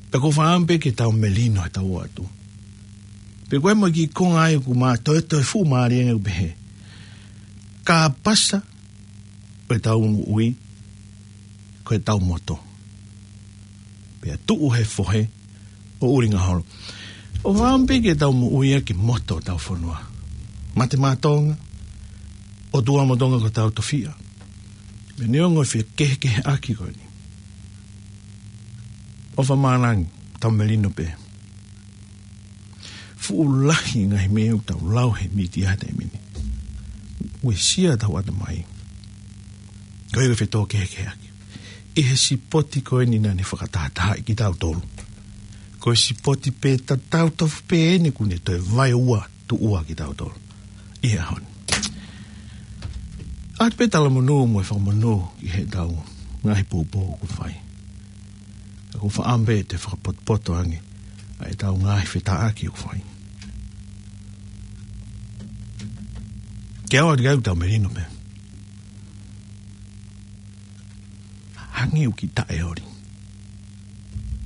Pea ʻoku ou fakaʻamu pē ke tau melino he tau atu. Pea ko e mo e kiʻi konga ai ʻoku ma toe toe fuʻu mālie ange ʻoku pehē: Kāpasa ʻo e tau moʻui, ko e tau moto. Pea tuʻu he fohe ʻo ʻulinga holo. ʻOku ou fakaʻamu pē ke tau moʻui ʻaki e moto ʻo tau fonua. Mate maʻa Tonga, ʻOtua mo Tonga ko hotau tofiʻa. Pea neongo e fekehekeheʻaki ko eni, ʻofa mālangi, tau melino pē. Fuʻu lahi e ngaahi meʻa ʻoku tau lau he mītia he taimi ni. Uesia tau ʻatamai. Ko e fetōkehekeheʻaki ʻi he sipoti ko eni naʻa ne fakatahatahaʻi kitautolu. Ko e sipoti pē tatau tofu pē eni kuo ne toe vaeua tuʻua kitautolu ʻi he ʻaho ni. ʻOatu pē talamonū mo e fakamonū ʻi he tau ngaahi poupou ʻoku fai. ʻOku ou fakaʻamu pē ke fakapotopoto ange ʻa e tau ngaahi fetāʻaki ʻoku fai. Ke ʻoua ʻe tau melino pē. Hangē ʻoku kiʻi taʻeoli.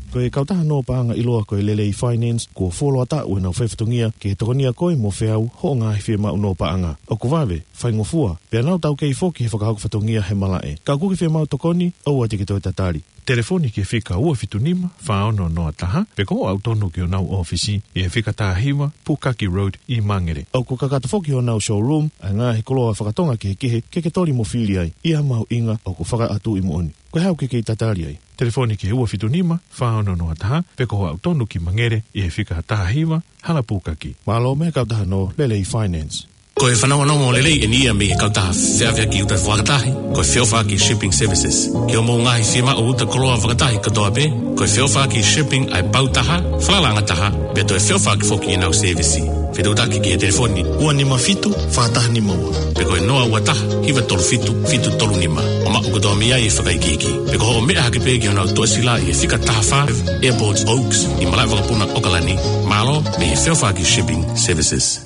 Ko e kautaha nō paʻanga ʻiloa ko e Lelei Finance, kuo fuoloa taʻu ʻenau fai fatongia ke tokoniʻi koe mo feau hoʻo ngaahi fiemaʻu nō paʻanga. ʻOku vave, faingofua, pea nau taukei foki he fakahoko fatongia he malaʻe. Ka ʻoku ke fiemaʻu tokoni, ʻoua te ke toe tatali. Telefoni ki he fika ua fitu nima, fā ono noa taha, pe ko hoʻo aʻu tonu ki honau ʻōfisi ʻi he fika taha hiva, Pukaki Road ʻi Mangere. ʻOku kakato foki honau showroom ʻa e ngaahi koloa fakatonga kehekehe ke ke toli mo fili ai ʻi ha mahuʻinga ʻoku fakaʻatu ʻi moʻoni. Ko e hā ʻoku ke kei tatali ai? Telefoni ki he ua fitu nima, fā ono noa taha, pe ko hoʻo aʻu tonu ki Mangere ʻi he fika taha hiva, Hala Pukaki. Mālō mei he kautaha nō Lelei Finance. Ko e fanongonongo lelei eni ia mei he kautaha feʻaveʻaki uta fakatahi, ko e Feʻofaʻaki Shipping Services. Ki hoʻomou ngaahi fiemaʻu uta koloa fakatahi kotoa pē, ko e Feʻofaʻaki Shipping ʻa e pau taha, falalaʻanga taha, pea toe feʻofaʻaki foki ʻenau sēvisi. Fetuʻutaki ki he telefoni ua nima fitu, fā taha nima ua. Pe ko e noa ua taha, hiva tolu fitu, fitu tolu nima. ʻO maʻu kotoa mei ai e fakaikiiki. Pe ko hoʻo meʻa hake pē ki honau toʻesila ʻi he fika taha fā, Airport Oaks, ʻi malaʻe vakapuna ʻOkalani. Mālō mei he Feʻofaʻaki Shipping Services.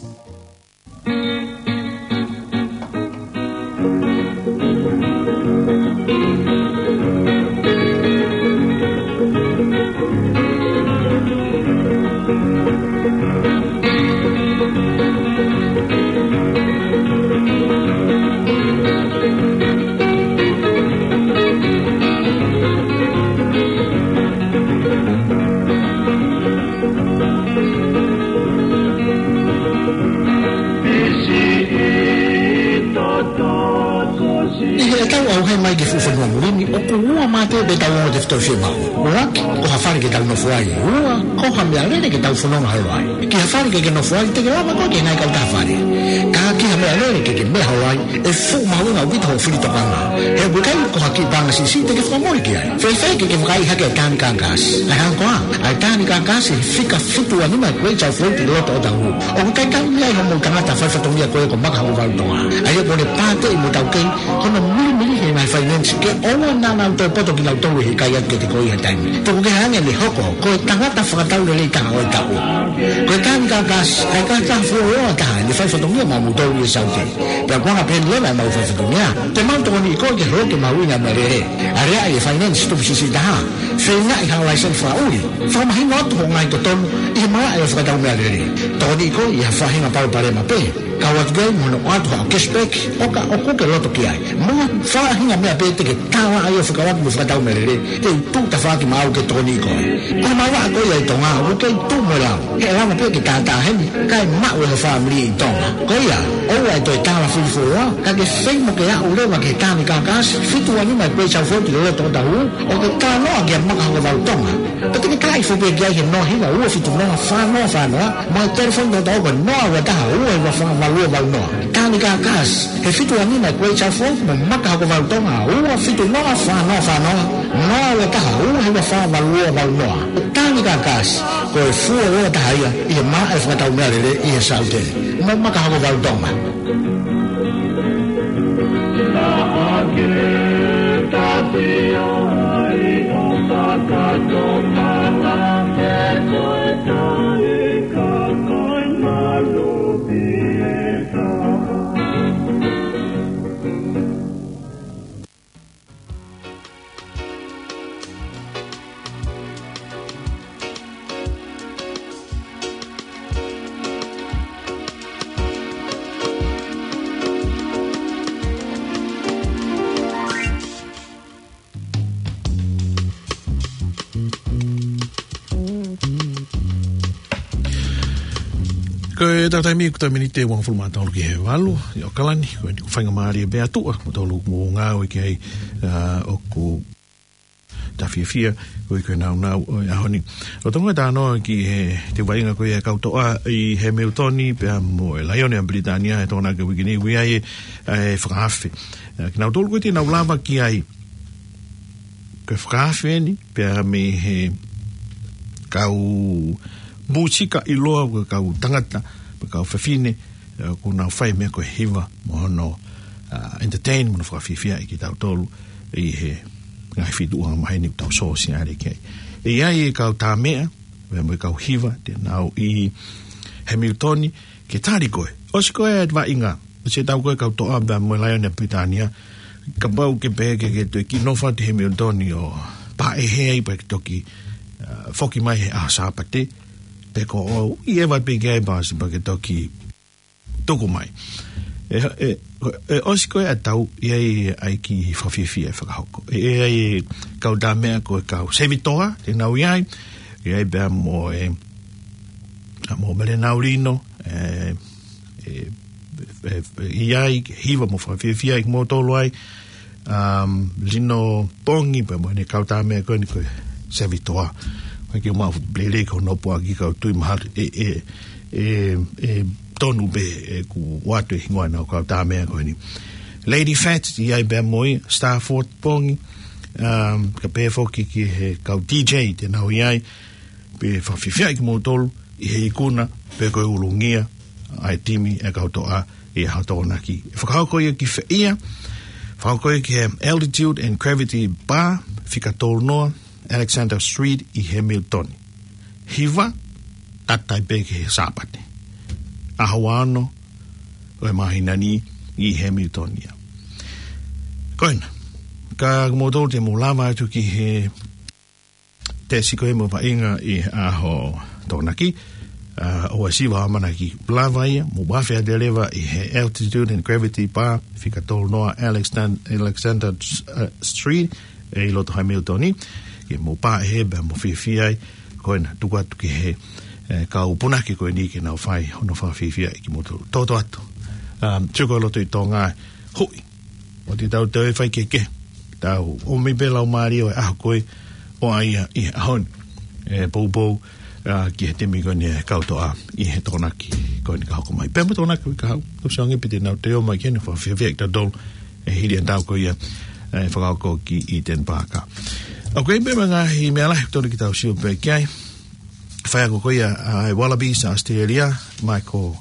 ʻI heʻetau ʻauhē mai ki he fuʻu fonua muli ni, ʻoku ua mā pē ʻetau ongo tefitoʻi fiemaʻu. ʻUluaki, ko ha fale ke tau nofo ai. Ua, ko ha meʻalele ke tau fononga holo ai. Ki ha fale ke ke nofo ai, te ke lava koe ke ngai kau taha fale. Ka ki ha meʻalele ke ke meʻa holo ai, ʻe fuʻu mahuʻinga ʻaupito hoʻo fili tokanga. He ʻoku ʻikai ko ha kiʻi paʻanga siʻisiʻi te ke fakamole ki ai. Fēfē ke ke vakaiʻi hake e tānaki kākasi? ʻAi hangē ko ā, ʻa e tānaki kākasi he fika fitu ua nima Great South Road ʻi loto ʻo Otahuhu. ʻOku talitali mei ai hoʻomou tangata fai fatongia ko ē ko Maka Hokovalu Tonga. ʻA ia kuo ne pāteʻi mo taukei hono milimili he ngaahi finance ke ʻoua naʻa nau toe poto kinautolu he ʻikai atu ke te ko ia taimi. Tuku kehe ange ʻene hoko ko e tangata fakatau lelei taha ʻo e taʻu. Ko e tānaki kākasi, ʻa e kākasi fuoloa taha ʻene fai fatongia maʻamoutolu ʻi Saute. Pea ko e anga pē eni leva ʻemau fai fatongia, te mau tokoniʻi koe ke holoki e mahuʻinga e meʻalele. Aleaʻi e finance tupu siʻisiʻi taha. Feingaʻi ha laiseni fakaʻuli. Fakamahino atu hoʻo ngaahi totonu ʻi he malaʻe ʻo e fakatau meʻalele. Tokoniʻi koe ʻi ha faʻahinga palopalema pē. Kau atu ki ai mo hono ʻoatu haʻo cashback ʻo ka ʻoku ke loto ki ai. Mo ha faʻahinga meʻa pē te ke tālaʻa ai ʻo fekauʻaki mo e fakatau meʻalele, te u tuʻu tafaʻaki maʻau ke tokoniʻi koe. Ko e malanga ko ia ʻi Tonga, ʻoku kei tuʻu mo e lau. He ʻe lava pē ke tātā heni, kae maʻu ʻe ho fāmili ʻi Tonga. Ko ia, ʻoua ʻe toe tālafili fuoloa, ka ke feinga ke aʻu leva ki he tānaki kākasi fitu ua nima Great South Road ʻi loto ʻo Otahuhu, ʻo ke talanoa kia Maka Hokovalu Tonga. Pea te ke tala hifo pē ki ai he noa hiva ua fitu noa fā noa fā noa, mo e telefoni tokotaha ko e noa ua taha ua hiva fā valu ua valu noa. Tānaki kākasi he fitu ua nima Great South Road mo Maka Hokovalu Tonga ua fitu noa fā noa fā noa, noa ua taha ua hiva fā valu ua valu noa. Tānaki kākasi, ko e fuoloa taha ia ʻi he malaʻe fakatau meʻalele ʻi he Saute. Mo Maka Hokovalu Tonga. Ko e taimi ʻoku taha miniti ʻe uangofulu mā tolu ki he valu ʻi ʻAokalani. Ko eni ko e faingamālie pē atu ʻa kimoutolu ʻoku mou ngāue ki ai, ʻa, ʻoku tau fiefia ʻoku ʻi ai ko e nāunau ʻo e ʻaho ni. ʻOku tau talanoa ki he, ki he vaʻinga ko ia ʻa e kau toʻa ʻi Hemilitoni pea mo e Laione ʻa Pilitānia he Tokonaki ʻo e uike ni, ʻoku ʻi ai e, e fakaafe. ʻA, kinautolu ko ē te nau lava ki ai, ko e fakaafe eni pea mei he kau mūsika ʻiloa, ko e kau tangata, ko e kau fefine, ʻa, ʻoku nau fai e meʻa ko e hiva mo hono, ʻa, entertain mo hono fakafiefia ʻa kitautolu ʻi he ngaahi feituʻu angamaheni ʻoku tau sōsiale ki ai. ʻE ʻi ai e kau tā meʻa pea mo e kau hiva te nau ʻi Hemilitoni ke tali koe. ʻOsi ko ē ʻa e vaʻinga, ʻosi ʻetau ko ē kau toʻa pea mo e Laione ʻa Pilitānia, kapau ke pehē ke, ke toe kiʻi nofo atu ʻi Hemilitoni ʻo pāʻehē ai pea ke toki, ʻa, foki mai he ʻaho Sāpate, pe ko e ʻoua ʻe ʻeva pē ki ai pasi pea ke toki tuku mai. ʻE, ʻe, ʻe ʻosi ko ē ʻa e tau, ʻe ʻi ai ʻa e kiʻi fakafiefia ʻe fakahoko. ʻE, ʻe ʻi ai e kau tā meʻa ko e kau Sevitoa, te nau ʻi ai, ʻe ʻi ai pea mo e, ʻa, mo Melenau Lino, ʻe, ʻe, ʻe, ʻe ʻi ai, hiva mo fakafiefia ʻa kimoutolu ai, um, Lino Pongi, pea mo ʻene kau tā meʻa ko eni ko e Sevitoa. Ko e kiʻi mau lele ko hono puaki kau tui mahalo ʻe, ʻe, ʻe, ʻe tonu pē ʻeku ʻoatu e hingoa ʻenau kau tā meʻa ko eni. Lady Fats, ʻi ai pea mo ia, Starford Pongi, um, kae pehē foki ki he kau D J te nau ʻi ai, pea fakafiefia ʻa kimoutolu ʻi he ikuna pe ko e ulungia ʻa e timi ʻa e kau toʻa ʻi he ʻaho Tokonaki. ʻE fakahoko ia ki fē ia? Fakahoko ia ki he Altitude and Gravity Bar, fika tolu noa Alexander Street ʻi Hemilitoni. Hiva, tata ai pē ki he Sāpate, ʻaho ua ono ʻo e māhina ni ʻi Hemilitoni ia. Ko ena, ka kimoutolu te mou lava atu ki he tesi ko ē mo e vaʻinga ʻi he ʻaho Tokonaki, ʻa, ʻoua siva ʻamanaki lava ia, mou vafe atu leva ʻi he Altitude and Gravity Bar, fika tolu noa Alexan-, Alexander, ʻa, Street, ʻi loto Hemilitoni, ke mou pāʻehē pea mo fiefia ai. Ko ena, tuku atu ki he, ʻe, kau punake ko eni ke nau fai hono fakafiefia ʻa kimoutolu. Toto atu. Um, tuku loto ʻi Tonga, hui. ʻOku tau toe fai kehekehe. Tau ʻomi pē laumālie ʻo e ʻaho ko ē ʻo ʻai ʻi he ʻaho ni. ʻE poupou, ʻa, ki he timi ko eni ʻa e kau toʻa ʻi he Tokonaki ko eni ka hoko mai. Pea mo e Tokonaki ʻo e kahaʻu. Tau sio ange pe te nau toe ō mai ke nau fakafiefia ʻa kitautolu ʻi he hili ʻa e tau ko ia, ʻe fakahoko ki Eden Park. ʻOku ʻi ai pē mo e ngaahi meʻa lahi ʻoku totonu ke tau sio pē ki ai. Faiako ko ia ʻa e Wallabies ʻa ʻAositelēlia, Michael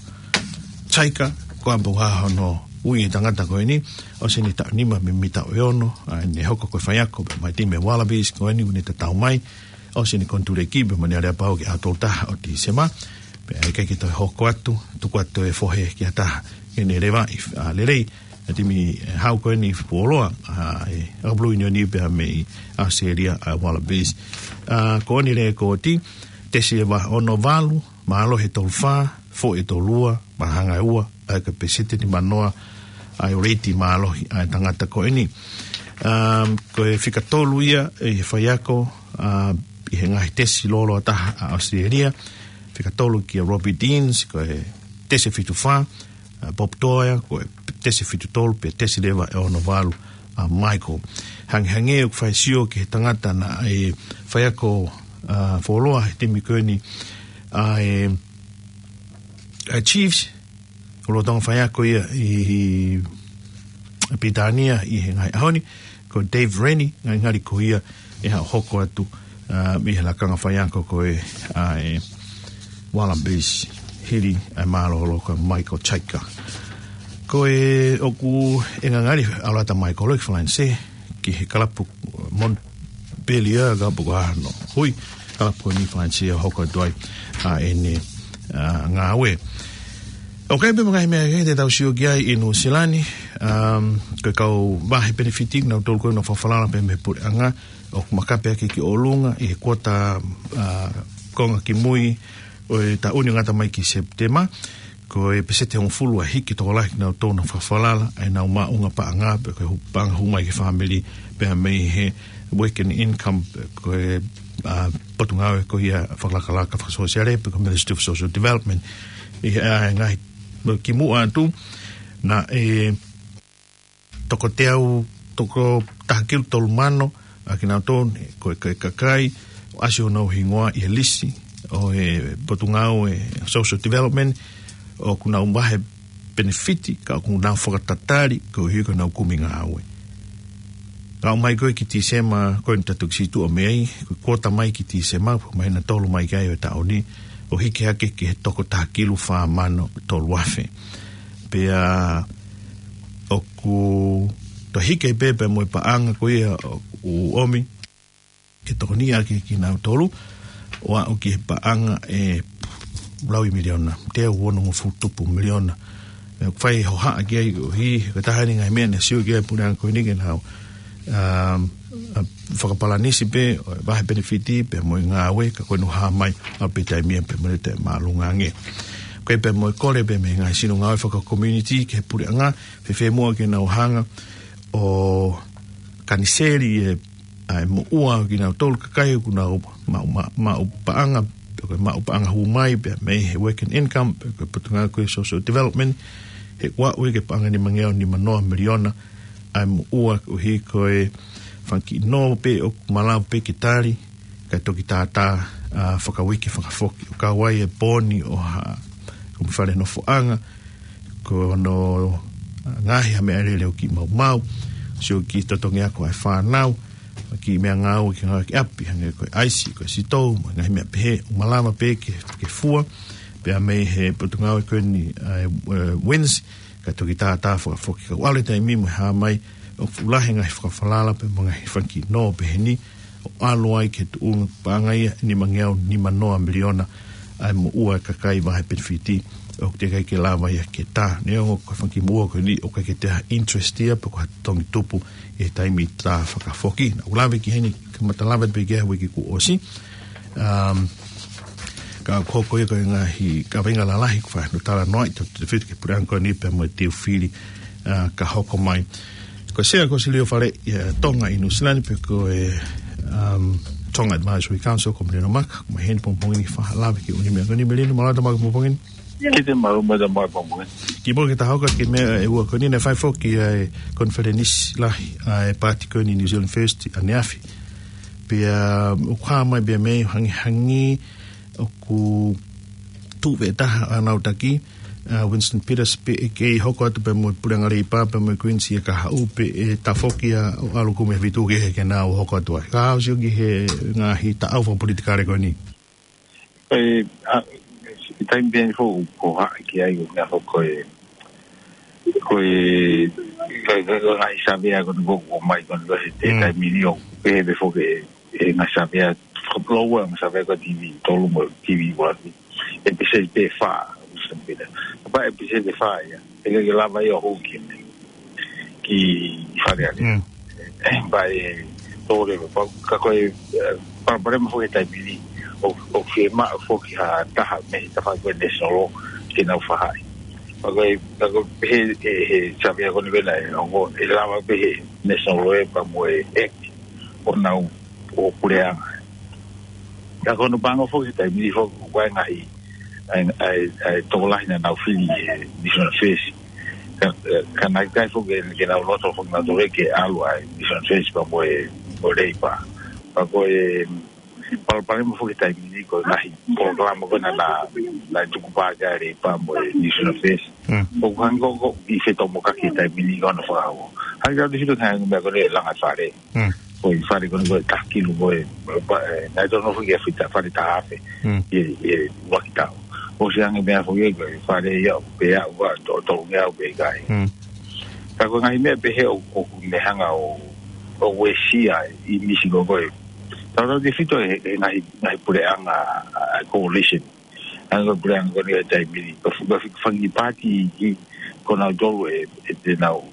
Chika, ko e ʻapo ʻa hono ui e tangata ko eni, ʻosi ʻene taʻu nima mei he taʻu ʻe ono, ʻa ʻene hoko ko e faiako pea mei he timi Wallabies ko eni ʻoku ne tatau mai, ʻosi ʻene konituleki pea mo ʻene aleapau ki he ʻaho tolu taha ʻo Tīsema, pea ʻikai ke toe hoko atu, tuku atu e fohe ki ha taha, ke ne levaʻi, ʻa, lelei, ʻa e timi, ʻe, hau ko eni fuoloa, ʻa, ʻe, ʻa Blue Union pea mei ʻAositelēlia ʻa e Wallabies. ʻA, ko eni lēkooti, tesi leva ono valu, mālohi ʻe tolu fā, foʻi ʻe tolu ua, mahanga ʻe ua, ʻa e kapeseti nima noa, ʻa e reiti mālohi ʻa e tangata ko eni. Um, ko e fika tolu ia ʻi he faiako, ʻa, ʻi he ngaahi tesi lōloa taha ʻa ʻAositelēlia, fika tolu kia Robbie Deans, ko e tesi ʻe fitu fā, ʻa, Bob Toia, ko e tesi ʻe fitu tolu, pea tesi leva ʻe ono valu ʻa Michael. Hangehangē ʻoku fai sio ki he tangata naʻe faiako, ʻa, fuoloa he timi ko eni ʻa e, ʻa e Chiefs, ʻo lolotonga faiako ia ʻi, ʻi Pilitānia ʻi he ngaahi ʻaho ni, ko Dave Rennie, ngali ngali ko ia ʻe haʻu ʻo hoko atu, ʻa, mei he lakanga faiako ko ē ʻa e Wallabies hili ʻa e mālōlō ko Michael Chika. Ko e ʻoku ʻi ai e ngali ʻalu atu ʻa Michael ʻo ʻalu ki Falanisē, ki he kalapu Montpellier, kalapu ko hono ui, kalapu ko eni Falanisē ʻo hoko atu ai ʻa ʻene, ʻa, ngāue. ʻOku ʻi ai pē mo e ngaahi meʻa kehe te tau sio ki ai ʻi Nuʻusila ni, um, ko e kau vahe penefiti, nautolu ko ē naʻa nau fakafalala pē mei he puleʻanga, ʻoku makape hake ki ʻolunga ʻi he kuata, ʻa, konga kimui ʻo e taʻu ni ʻo ngata mai ki Sepitema. ko e peseti hongofulu ʻa e hiki tokolahi kinautolu naʻa nau fakafalala ʻenau maʻuʻanga paʻanga, pe ko e hū-, paʻanga hū mai ki he fāmili, pea mei he working income, pe ko e, ʻa, potungāue ko ia fakalakalaka fakasōsiale, pe ko e Ministry of Social Development. ʻI he, ʻa, ngaahi, kimuʻa atu, naʻe toko teau, toko taha kilu tolu mano ʻa kinautolu, ko e, ko e kakai ʻoku ʻasi honau hingoa ʻi he lisi ʻo e potungāue Social Development, ʻoku nau maʻu e penefiti, ka ʻoku nau fakatatali koeʻuhi ko ʻenau kumi ngāue. Ka ʻomai ko ē ki Tīsema, ko eni ʻoku tau toki situʻa mei ai, ko e kuota mai ki Tīsema, ko e māhina ʻe tolu mai ki ai ʻo e taʻu ni, ʻo hiki hake ki he toko taha kilu fā mano tolu afe. Pea ʻoku toe hiki pē pea mo e paʻanga ko ia ʻoku ʻomi ke tokoniʻi ʻaki kinautolu, ʻo aʻu ki he paʻanga ʻe lau ʻe miliona, teau onongofulu tupu miliona. ʻE fai hohaʻa ki ai ʻo hiki, ko e taha eni e ngaahi meʻa naʻe sio ki ai e puleʻanga ko eni ke nau, um, ʻa, fakapalanisi pē ʻo e vahe penefiti pea mo e ngāue, ka ko eni ʻoku hā mai ʻaupito e taimi ia pea mo e taʻemāʻolunga ange. Ko e pea mo e kole pē mei he ngaahi sino ngāue faka-community ki he puleʻanga, fēfē muʻa ke nau hanga ʻo kaniseli e, ʻa e moʻua ʻo kinautolu kakai ʻoku nau maʻu, maʻu, maʻu paʻanga, pe ko e maʻu paʻanga hū mai, pea mei he working income, pe ko e potungāue ko e Social Development, he ʻoku aʻu ia ki he paʻanga ʻe nimangeau nimanoa miliona ʻa e moʻua, koeʻuhi ko e fanga kiʻi nō pē ʻoku malava pē ke tali, kae toki tātā, ʻa, fakauike fakafoki. ʻOku kau ai e pooni ʻo ha, ko e fale nofoʻanga, ko hono, ʻa, ngaohi ha meʻalele ʻo kiʻi maumau, sio ki he totongi ako ʻa e fānau, kiʻi meʻangāue ke ngāue ki ʻapi, hangē ko e ʻaisi, ko e sitou, mo e ngaahi meʻa pehē, ʻoku malava pē ke, ke fua, pea mei he potungāue ko eni, ʻa e, ʻe, WINZ, kae toki tātā fakafoki. Ka ʻoku ʻalu e taimi mo e hā mai, ʻoku fuʻu lahi e ngaahi fakafalala pea mo e ngaahi fanga kiʻi nō pehē ni, ʻo ʻalu ai ki he tuʻunga paʻanga ia ʻe nimangeau nimanoa miliona ʻa e moʻua ʻa e kakai vahe penefiti, ʻoku teʻeki ai ke lava ia ke tā. Neongo ko e fanga kiʻi moʻua ko eni ʻoku ʻikai ke toe ʻi ai ha interest ia pe ko ha totongi tupu ʻi he taimi tā fakafoki. Naʻa ku lave ki heni, kamata lave pē ki ai he uike kuo ʻosi. Um, ka ʻoku hoko ia ko e ngaahi kaveinga lalahi ʻoku fai hono talanoaʻi, tautautefito ki he puleʻanga ko eni pea mo e Tuʻi Fili, ʻa, ka hoko mai. Ko e Sea Kōsilio Fale, ʻa, Tonga ʻi Nuʻu Sila ni pe ko e, um, Tonga Advisory Council, ko Melino Maka, ʻoku mou ʻi heni pongipongi ni ke fai ha lave ki he ʻū meʻa ko eni. Melino, mālō e tau maʻu pongipongi ni. Kiate koe, mālō e tau maʻu pongipongi ni. Kimuʻa ke ta hoko ki he meʻa ʻe ua ko eni, naʻe fai foki ʻa e konifelenisi lahi ʻa e paati ko eni New Zealand First ʻaneafi. Pea ʻoku hā mai pē mei hangē hangē ʻoku tuʻu pē taha ʻa ʻenau taki, ʻa, Winston Peters, pe ʻe kei hoko atu pē mo e Puleʻanga Leipa pea mo e Greens ia kahaʻu pe ʻe tafoki ia ʻo ʻalu kumi he Vītū Kehe ke nau hoko atu ai. Ka ʻoku ou sio ki he ngaahi taʻau fakapolitikale ko eni. ʻE, ʻa, ʻi he taimi pē eni ʻoku ou hohaʻa ki ai ʻo meʻa foki ko e, ko e, ko e, ko e ngaahi savea ko eni ʻoku ʻomai ko eni ko e he te Mm. taimi ni ʻoku pehē pē foki ʻe, ʻe ngaahi savea, fakapuloa ngaahi savea ko e TV tolu mo e TV ua. ʻE peseti pē fā, ʻoku ou sio pē. Pea ʻe peseti pē fā ia, ʻe ʻikai ke lava ia ʻo hū ki, ki Fale Alea. Mm. Pea ʻe tō leva, pea ka ko e, ʻe, palopalema foki he taimi ni, ʻoku, ʻoku fiemaʻu foki ha taha mei he tafaʻaki ko e national law ke nau faʻahi. Pea ko e, pea ko e pehē ʻe he, he savea ko eni ko ē naʻe ongo, ʻe lava pē he national law pea mo e act ʻo nau ʻo puleʻanga. Ka ko hono pango foki he taimi ni foki, ʻoku ʻi ai e ngaahi, ʻa e, ʻa e, ʻa e tokolahi naʻa nau fili ʻe he National First. Ka, ka naʻe ʻikai foki ke nau loto foki nautolu ke ʻalu ʻa e National First pea mo e, mo e Leipa. Pea ko e palopalema foki he taimi ni ko e ngaahi polokalama ko ē naʻa, naʻe tukupā ki ai e Leipa mo e National First. Mm. ʻOku hangē ko, ko e fetōmokaki he taimi ni ko hono fakahoko. Hangē ka te fito hangē meʻa ko ē langa fale. Mm. Ko e fale ko eni ko e taha kilu ko ē, pa-, ʻe, naʻe tonu foki ke fita fale taha afe. Mm. ʻI he, ʻi he ʻuluaki taʻu. ʻOsi ange meʻa foki ko e fale ia ʻoku pehē ʻoku ʻa to-, tolungeau pe ʻikai. Mm. Ka ko e ngaahi meʻa pehē ʻoku, ʻoku ne hanga ʻo, ʻo uesia ʻa e ʻīmisi ko ē. Tautautefito he, he ngaahi, ngaahi puleʻanga, ʻa, ʻa e coalition. Hangē ko e puleʻanga ko eni he taimi ni. Ko e fu-, ko e fu-, fanga kiʻi paati ki, ko nautolu ʻe, ʻe te nau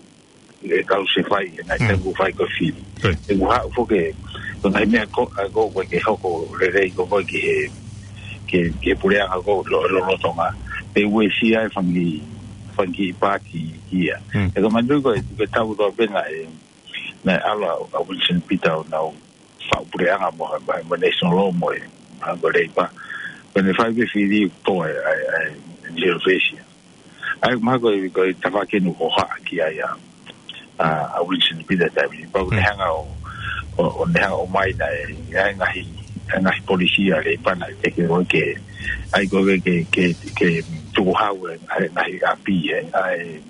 ʻe kau se fai, ʻe ngaahi Mm. tau fai ko e fili. Right. ʻE kuo haʻu foki, ko e ngaahi meʻa ko, ʻa ko, ko e ke hoko lelei ko, ko e ki he, ki he, ki he puleʻanga ko lo, lolotonga. Te uesia e fanga kiʻi, fanga kiʻi paati ia. He ko e manatuʻi ko e, ko e taʻu kotoa pē naʻe, naʻe ʻalu ʻa Winston Peters ʻo nau faʻu puleʻanga mo e, mo e, mo e National Law mo e, mo e Labour. Ko ʻene fai pē fili ʻo tō ai, ʻa e, ʻa e, ʻa e New Zealand First ia. ʻA ia, mahalo ko e, ko e tafaʻaki eni ʻoku hohaʻa ki ai ʻa, ʻa, ʻa Winston Peters taimi ni. Pea ʻoku ne hanga ʻo, ʻo, ʻo ne hanga ʻo ʻomai naʻe, ʻa e ngaahi, ʻa e ngaahi polisi ʻa e Labour naʻe teke ʻo ke, ʻa ia ko e ke, ke, ke tukuhau e, ʻa e ngaahi ʻapi ē, ʻa e,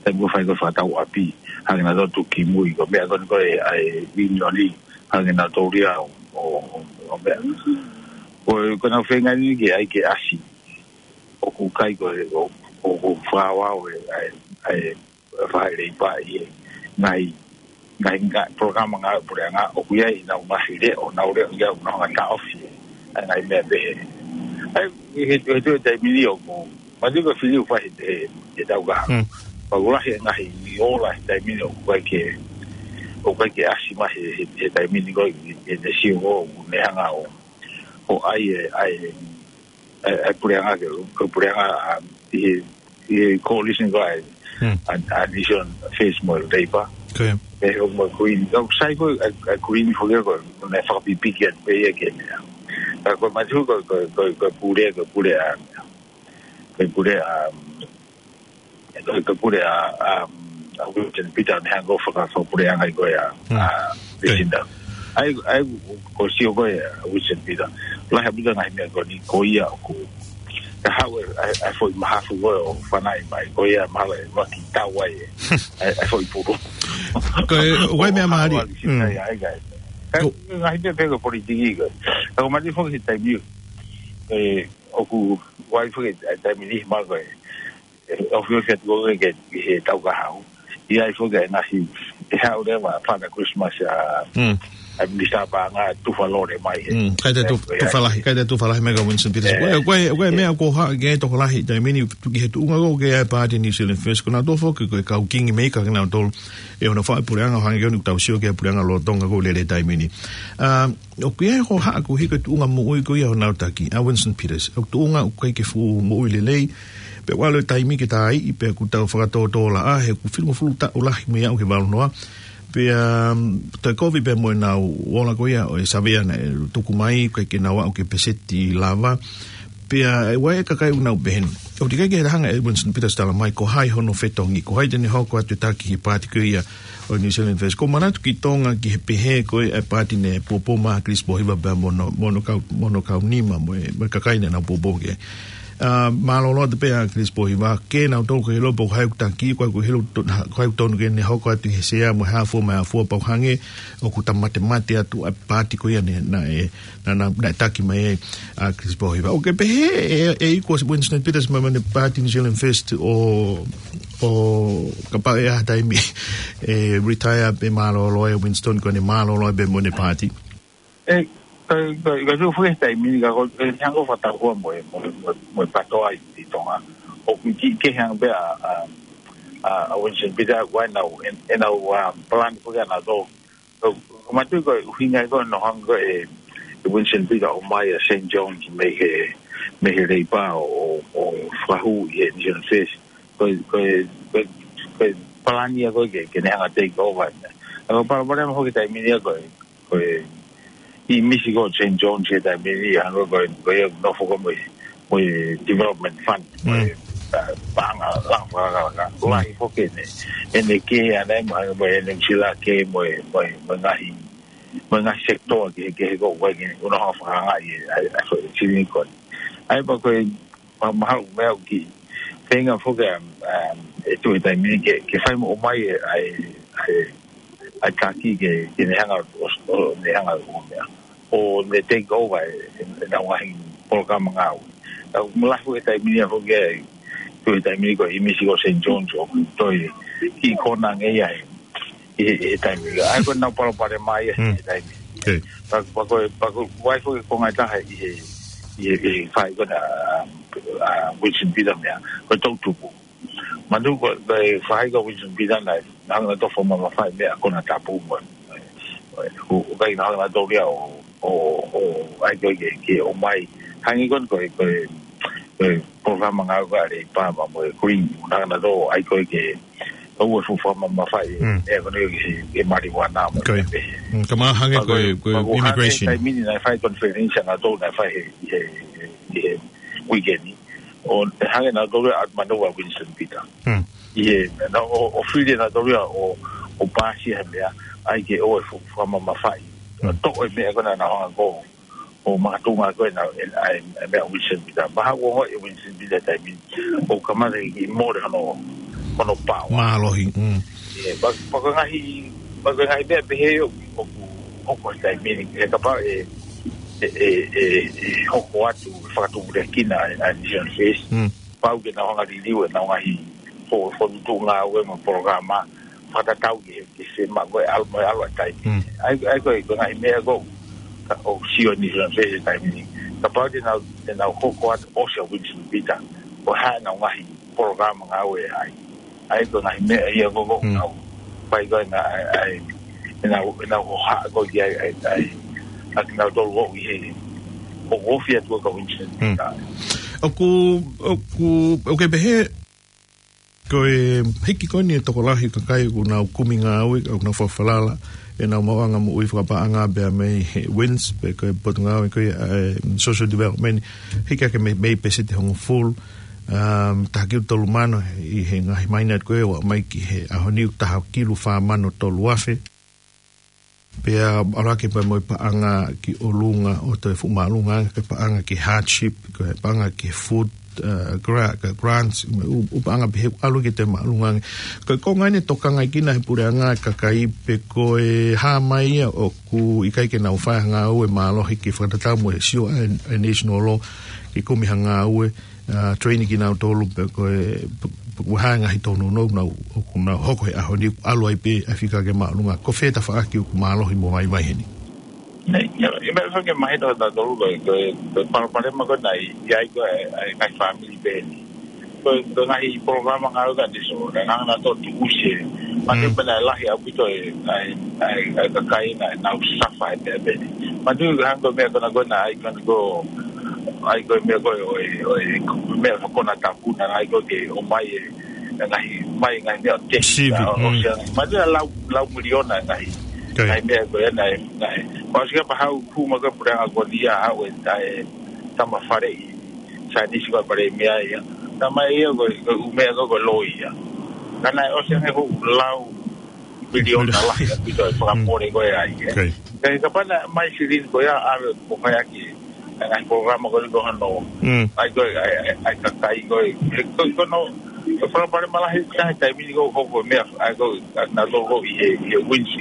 taimi ʻoku fai ko e fakatau ʻapi, hangē naʻa tau tuki mui ko e meʻa ko eni ko e, ʻa e ʻiunioni, hangē naʻa tau lia ʻo, ʻo, ʻo, ʻo meʻa. Ko e, ko ʻenau feinga ni ke ʻai ke ʻasi. ʻOku ʻikai ko e, ʻo, ʻoku fakaʻaoʻao e, ʻa e, ʻa e, ʻa e fai Labour ʻi he ngaahi, ngaahi, ngaahi polokalama ngāue puleʻanga ʻoku ʻi ai ʻenau ngaahi leʻo, ʻenau leʻo ia ʻoku nau hanga ʻo taʻofi ʻa e ngaahi meʻa pehē. ʻA ia, he, he, he taimi ni ʻoku, manatuʻi ko e fili ʻoku fai he, he, he taʻu kahaʻu. Pea ʻoku lahi e ngaahi ola he taimi ni ʻoku ʻikai ke, ʻoku ʻikai ke ʻasi mai he, he, he taimi ni ko e, he, he sio ko ʻoku ne hanga ʻo, ʻo ʻai e, ʻai e, ʻa e, ʻa e puleʻanga ke, ko e puleʻanga, ʻa, ʻi he, ʻi he coalition ko ē, ʻa, ʻa New Zealand First mo e Labour. Ko ia. Pea ʻoku mo e Kuini. Ka ʻoku sai ko e, ʻa e, ʻa e Kuini foki ko e, naʻe fakapipiki atu pē ia ke meʻa. Ka ko e manatuʻi ko e, ko e, ko e, ko e pule, ko e pule ʻa, ko e pule ʻa, ko e, ko e pule ʻa, ʻa, ʻa Winston Peters ne hanga ʻo faka-, fakapuleʻanga ʻi ko ia, ʻa, Lucinda. ʻA ia, ʻa ia, ko e sio ko ē ʻa Winston Peters. Lahi ʻaupito ngaahi meʻa ko eni ko ia ʻoku. Ka haʻu e, ʻa e, ʻa e foʻi mahafu ko ē ʻo fanaʻi mai, ko ia mahalo ʻe ʻuluaki tau ai e, ʻa e, ʻa e foʻi pulu. Ko e, ʻoku ʻi ai e meʻa mālie. ʻA ia, ʻa ia, ʻa ia. Ka, ngaahi meʻa pē ko e politiki ko ē. Ka ko e manatuʻi foki he taimi, ē, ʻoku ʻi ai foki e taimi ni mahalo ko e, ʻe, ʻoku ʻi ai foki atu ko ē ke, ke he taʻu kahaʻu. ʻI ai foki e ngaahi, ʻe haʻu leva Father Christmas ʻa, ʻa e Minisitā Paʻanga tufa lole mai he. ʻIkai toe tu-, tufa lahi, ʻikai toe tufa lahi mai ka Winston Peters. Ko e, ko e, ko e meʻa ʻoku hohaʻa ki ai e tokolahi taimi ni ki he tuʻunga ko ē ʻa e paati New Zealand First. Ko nautolu foki ko e kau kingmaker kinautolu. ʻI hono faʻu e puleʻanga ʻo hangē ko eni ʻoku tau sio ki he puleʻanga lolotonga ko ē lele taimi ni. ʻA, ʻoku ʻi ai e hohaʻa koeʻuhi ko e tuʻunga moʻui ko ia honau taki, ʻa Winston Peters. ʻOku tuʻunga ʻoku ʻikai ke fuʻu moʻui lelei, pea ʻoku ʻalu e taimi ke tā iʻi, pea kuo tau fakatōtōlaʻā, he kuo filingofulu taʻu lahi mei he valu noa. Pea, um, toe kovi pea mo ʻenau ola ko ia ʻo e savea naʻe tuku mai, ʻikai ke nau aʻu ki he peseti lava. Pea, ʻe, ʻoku ʻi ai e kakai ʻoku nau pehē ni. ʻOku teʻeki ai ke hanga ʻe Winston Peters tala mai, ko hai hono fetongi, ko hai te ne hoko atu e taki he paati ko ia ʻo e New Zealand First. ʻOku ou manatu ki Tonga ki he pehē ko ē ʻa e paati ne puapua mai ʻa Chris Pōhiva pea mo hono, mo hono kau, mo hono kau nima mo e, mo e kakai naʻa nau puapua ki ai. ʻA, mālōlō atu pē ʻa Chris Pōhiva, ke nau tō ko e hilo pō hai ʻoku taki, ko hai ʻoku hilo to-, ko hai ʻoku tonu ke ne hoko atu he sea mo e hā fua mo e hā fua pau hangē, ʻoku ta matemate atu ʻa e paati ko ia ne, naʻe, naʻa, naʻa, naʻe taki mai ai ʻa Chris Pōhiva. ʻOku ke pehē ʻe, ʻe iku ʻa Winston Peters mai mei he paati New Zealand First ʻo, ʻo kapau ʻe ʻi ai ha taimi ʻe retire pē mālōlō ʻa Winston ko ʻene mālōlō pē mo ʻene paati. ʻE, ka, ka, ka tuʻu foki he taimi ni ka ko, ʻe hanga ʻo fakatau hua mo e, mo e, mo e, mo e PTOA ʻi, ʻi Tonga. ʻOku ki, ke hanga pē ʻa, ʻa, ʻa, ʻa Winston Peters ʻoku ʻi ai ʻenau, ʻen-, ʻenau, ʻa, palani foki ʻanautolu. Ko, ko e manatuʻi ko e ʻuhinga ko ē naʻe hanga ko ē ʻe, ʻe Winston Peters ʻo ʻomai ʻa Saint John's mei he, mei he Labour ʻo, ʻo, ʻo fakahū ʻi he New Zealand First. Ko e, ko e, ko e, ko e palani ia ko ē ke, ke ne hanga ʻo take over. ʻA ia ko e palopalema foki he taimi ni ia ko e, ko e ʻīmisi ko ē ʻo Saint John's he taimi ni, hangē ko e, ko e nofo ko ē mo e, mo e Development Fund, mo e, ʻa, paʻanga langa fakalakalaka. Lahi foki ʻene, ʻene kē ʻaʻana mo, mo ʻene sila kē mo e, mo e, mo e ngaahi, mo e ngaahi sector kehekehe ko ē ʻoku ne hanga ʻo fakaangaʻi e, ʻa e, ʻa e, ko e sini ko ē. ʻA ia pea ko e, ma-, mahalo meʻa ʻoku kiʻi feinga foki ʻa, ʻa, ʻe tuʻu he taimi ni ke, ke fai mo ʻomai e, ʻa e, ʻa e, ʻa e taki ke, ke ne hanga ʻo, ʻo, ne hanga ʻo meʻa. ʻO ne take over e, e, ʻenau ngaahi polokalama ngāue. Ka ʻoku lahi foki he taimi ni ia foki ʻe tuʻu he taimi ni ko e ʻīmisi ko ē ʻo Saint John's ʻoku toe kiʻi kona ange ia he, he, he taimi ni. ʻA ia ko ʻenau palopalema ia he taimi ni. Pea, pea ko e, pea ko e, ʻoku ʻi ai foki e konga ʻe taha ʻi he, ʻi he, ʻi he faʻahi ko ena, ʻa, ʻa Winston Peters meʻa, ko e toʻutupu. Manatuʻi ko e, ko e faʻahi ko ē ʻa Winston Peters naʻe, naʻe hanga ʻo tofa mo mamafaʻi meʻa konatapu mo e, mo e, ʻo, ʻoku ʻikai ke nau hanga ʻo taulia ʻo, ʻo, ʻo, ʻai ko ē ke, ke ʻomai. Hangē ko ē, ko e, ko e, ko e polokalama ngāue ʻa e Leipa mo e Green, ʻo hanga nautolu ʻai ko ē ke ʻoua ʻe fuʻu fakamamafaʻi, Mm. ʻe ko ē ke, ke marijuana mo Ko ia. e pehē. Mm, ka mahalo hangē Pea ko e, ko e, ko e pea ko e hangē immigration. taimi ni naʻe fai conference ʻanautolu naʻe fai he, he, he, he weekend ni. ʻO hangē nautolu ʻa Manova Winston Peter. Mm. ʻI he, na, ʻo, ʻo fili nautolu ia ʻo, ʻo pāsi he meʻa, ʻai ke ʻoua ʻe fuʻu fakamamafaʻi. Mm. Toʻo e meʻa ko ē naʻa nau hanga ko ē ʻo makatuʻunga ko ē naʻe, ʻa e, ʻa e meʻa Winston Peter. Mahalo ko e ongoʻi ʻe Winston Peter taimi ni, ʻoku kamata ke mole hono, hono paoa. Mālohi, mm. ʻIo, pea, pea ko e ngaahi, pea ko e ngaahi meʻa pehē ʻoku, ʻoku hoko he taimi ni, he kapau ʻe, ʻe, ʻe, ʻe, ʻe hoko atu, fakatupulekina ʻa e, ʻa e New Zealand First. Mm. Pau ke nau hanga liliu ʻenau ngaahi fo-, fokotuʻutuʻu ngāue mo e polokalama, fakatatau ki he, ki he maʻu ko ē ʻalu mo e ʻalu ʻa e taimi. Mm. ʻAi, ʻai ko e, ko e ngaahi meʻa ko ē, ka ʻoku sio New Zealand First he taimi ni. Kapau te nau, te nau hoko atu ʻosi ʻa Winston Peter, ko e hā ʻenau ngaahi polokalama ngāue ai. ʻAi ko e ngaahi meʻa ia ko ē ko Mm. nau. Pai ko ē ngā, ʻai, ʻai, ʻenau, ʻenau hohaʻa ko ē ki ai, ʻai, ʻai. ʻA kinautolu ʻoku ʻi he, ʻoku ofi atu ko ē kia Winston Mm. Peter. ʻOku, ʻoku, ʻoku ke pehē, ko e hiki ko eni e tokolahi kakai ʻoku nau kumi ngāue, ʻoku nau fakafalala ʻenau maʻuʻanga moʻui fakapaʻanga pea mei he WINZ, pe ko e potungāue ko ia ʻa e social development, hiki hake mei, mei he pēseti hongofulu, um, taha kilu tolu mano ʻi he ngaahi maina ko ē ʻo aʻu mai ki he ʻaho ni ʻoku taha kilu fā mano tolu afe. Pea ʻalu hake pea mo e paʻanga ki ʻolunga ʻo toe fuʻu māʻolunga ange, ko e paʻanga ki he hardship, ko e paʻanga ki he food, uh, gra-, ko e grants, mo e ʻū, ʻū paʻanga pehē ʻalu ki he toe māʻolunga ange. Ko e konga eni tokangaʻi ʻe he puleʻanga e kakai pe ko e hā mai ia ʻoku ʻikai ke nau fai ha ngāue mālohi ke fakatatau mo e sio ʻa e, ʻa e national law ke kumi ha ngāue, uh, train kinautolu pe ko e, pe, pe ko e hā e ngaahi tōnounou naʻa nau, ʻoku nau hoko he ʻaho ni ʻalu ai pē ʻa e fika ki he māʻolunga. Ko fē tafaʻaki ʻoku mālohi mo vaivai heni? Nei, ia, ʻi he meʻa fanga mahino ʻatautolu ko e, ko e, ko e palopalema ko ē naʻe ʻi ai ko ē, ʻa e ngaahi fāmili pē ni. Ko e, ko e ngaahi polokalama ngāue ka tiso, naʻe hanga nautolu ʻo tuʻusi. Mate Mm. pē naʻe lahi ʻaupito e, ʻa e, ʻa e, ʻa e kakai naʻa nau suffer he meʻa pē ni. Mate hangē ko e meʻa ko ena ko ē naʻe ʻai ko ē ko ʻai ko e meʻa ko ē, ʻo e, ʻo e, ko e meʻa ko ē naʻe tapu naʻe ʻai ko ē ke ʻomai e, e ngaahi, mai e ngaahi meʻa ʻo te, Sivi, ʻo, ʻo mm. sia, mai te lau, lau miliona e ngaahi, Okay. ngaahi meʻa ko ē naʻe, naʻe. ʻOsi ka pehē ʻoku hū mai ko ē puleʻanga ko eni ia ʻa e, ʻa e tama fale ʻi, Sainisi ko e fale meʻa ia. Tama ia ko e, ko e ʻū meʻa ko ē ko e loi ia. Ka naʻe ʻosi ange ko e lau miliona lahi ʻaupito e fakamole ko ē ai, ē. Okay. Ka he kapau naʻe ʻomai silini ko ia ʻave ʻo fai ʻaki e ngaahi polokalama ko eni ko hono. Mm. ʻAi ko e, ʻai, ʻai, ʻai kakai ko ē. He ko, ko hono, ko e palopalema lahi ʻa e taimi ni ko e hoko e meʻa, ʻai ko e, ʻa nautolu ko ē ʻi he, ʻi he WINZ.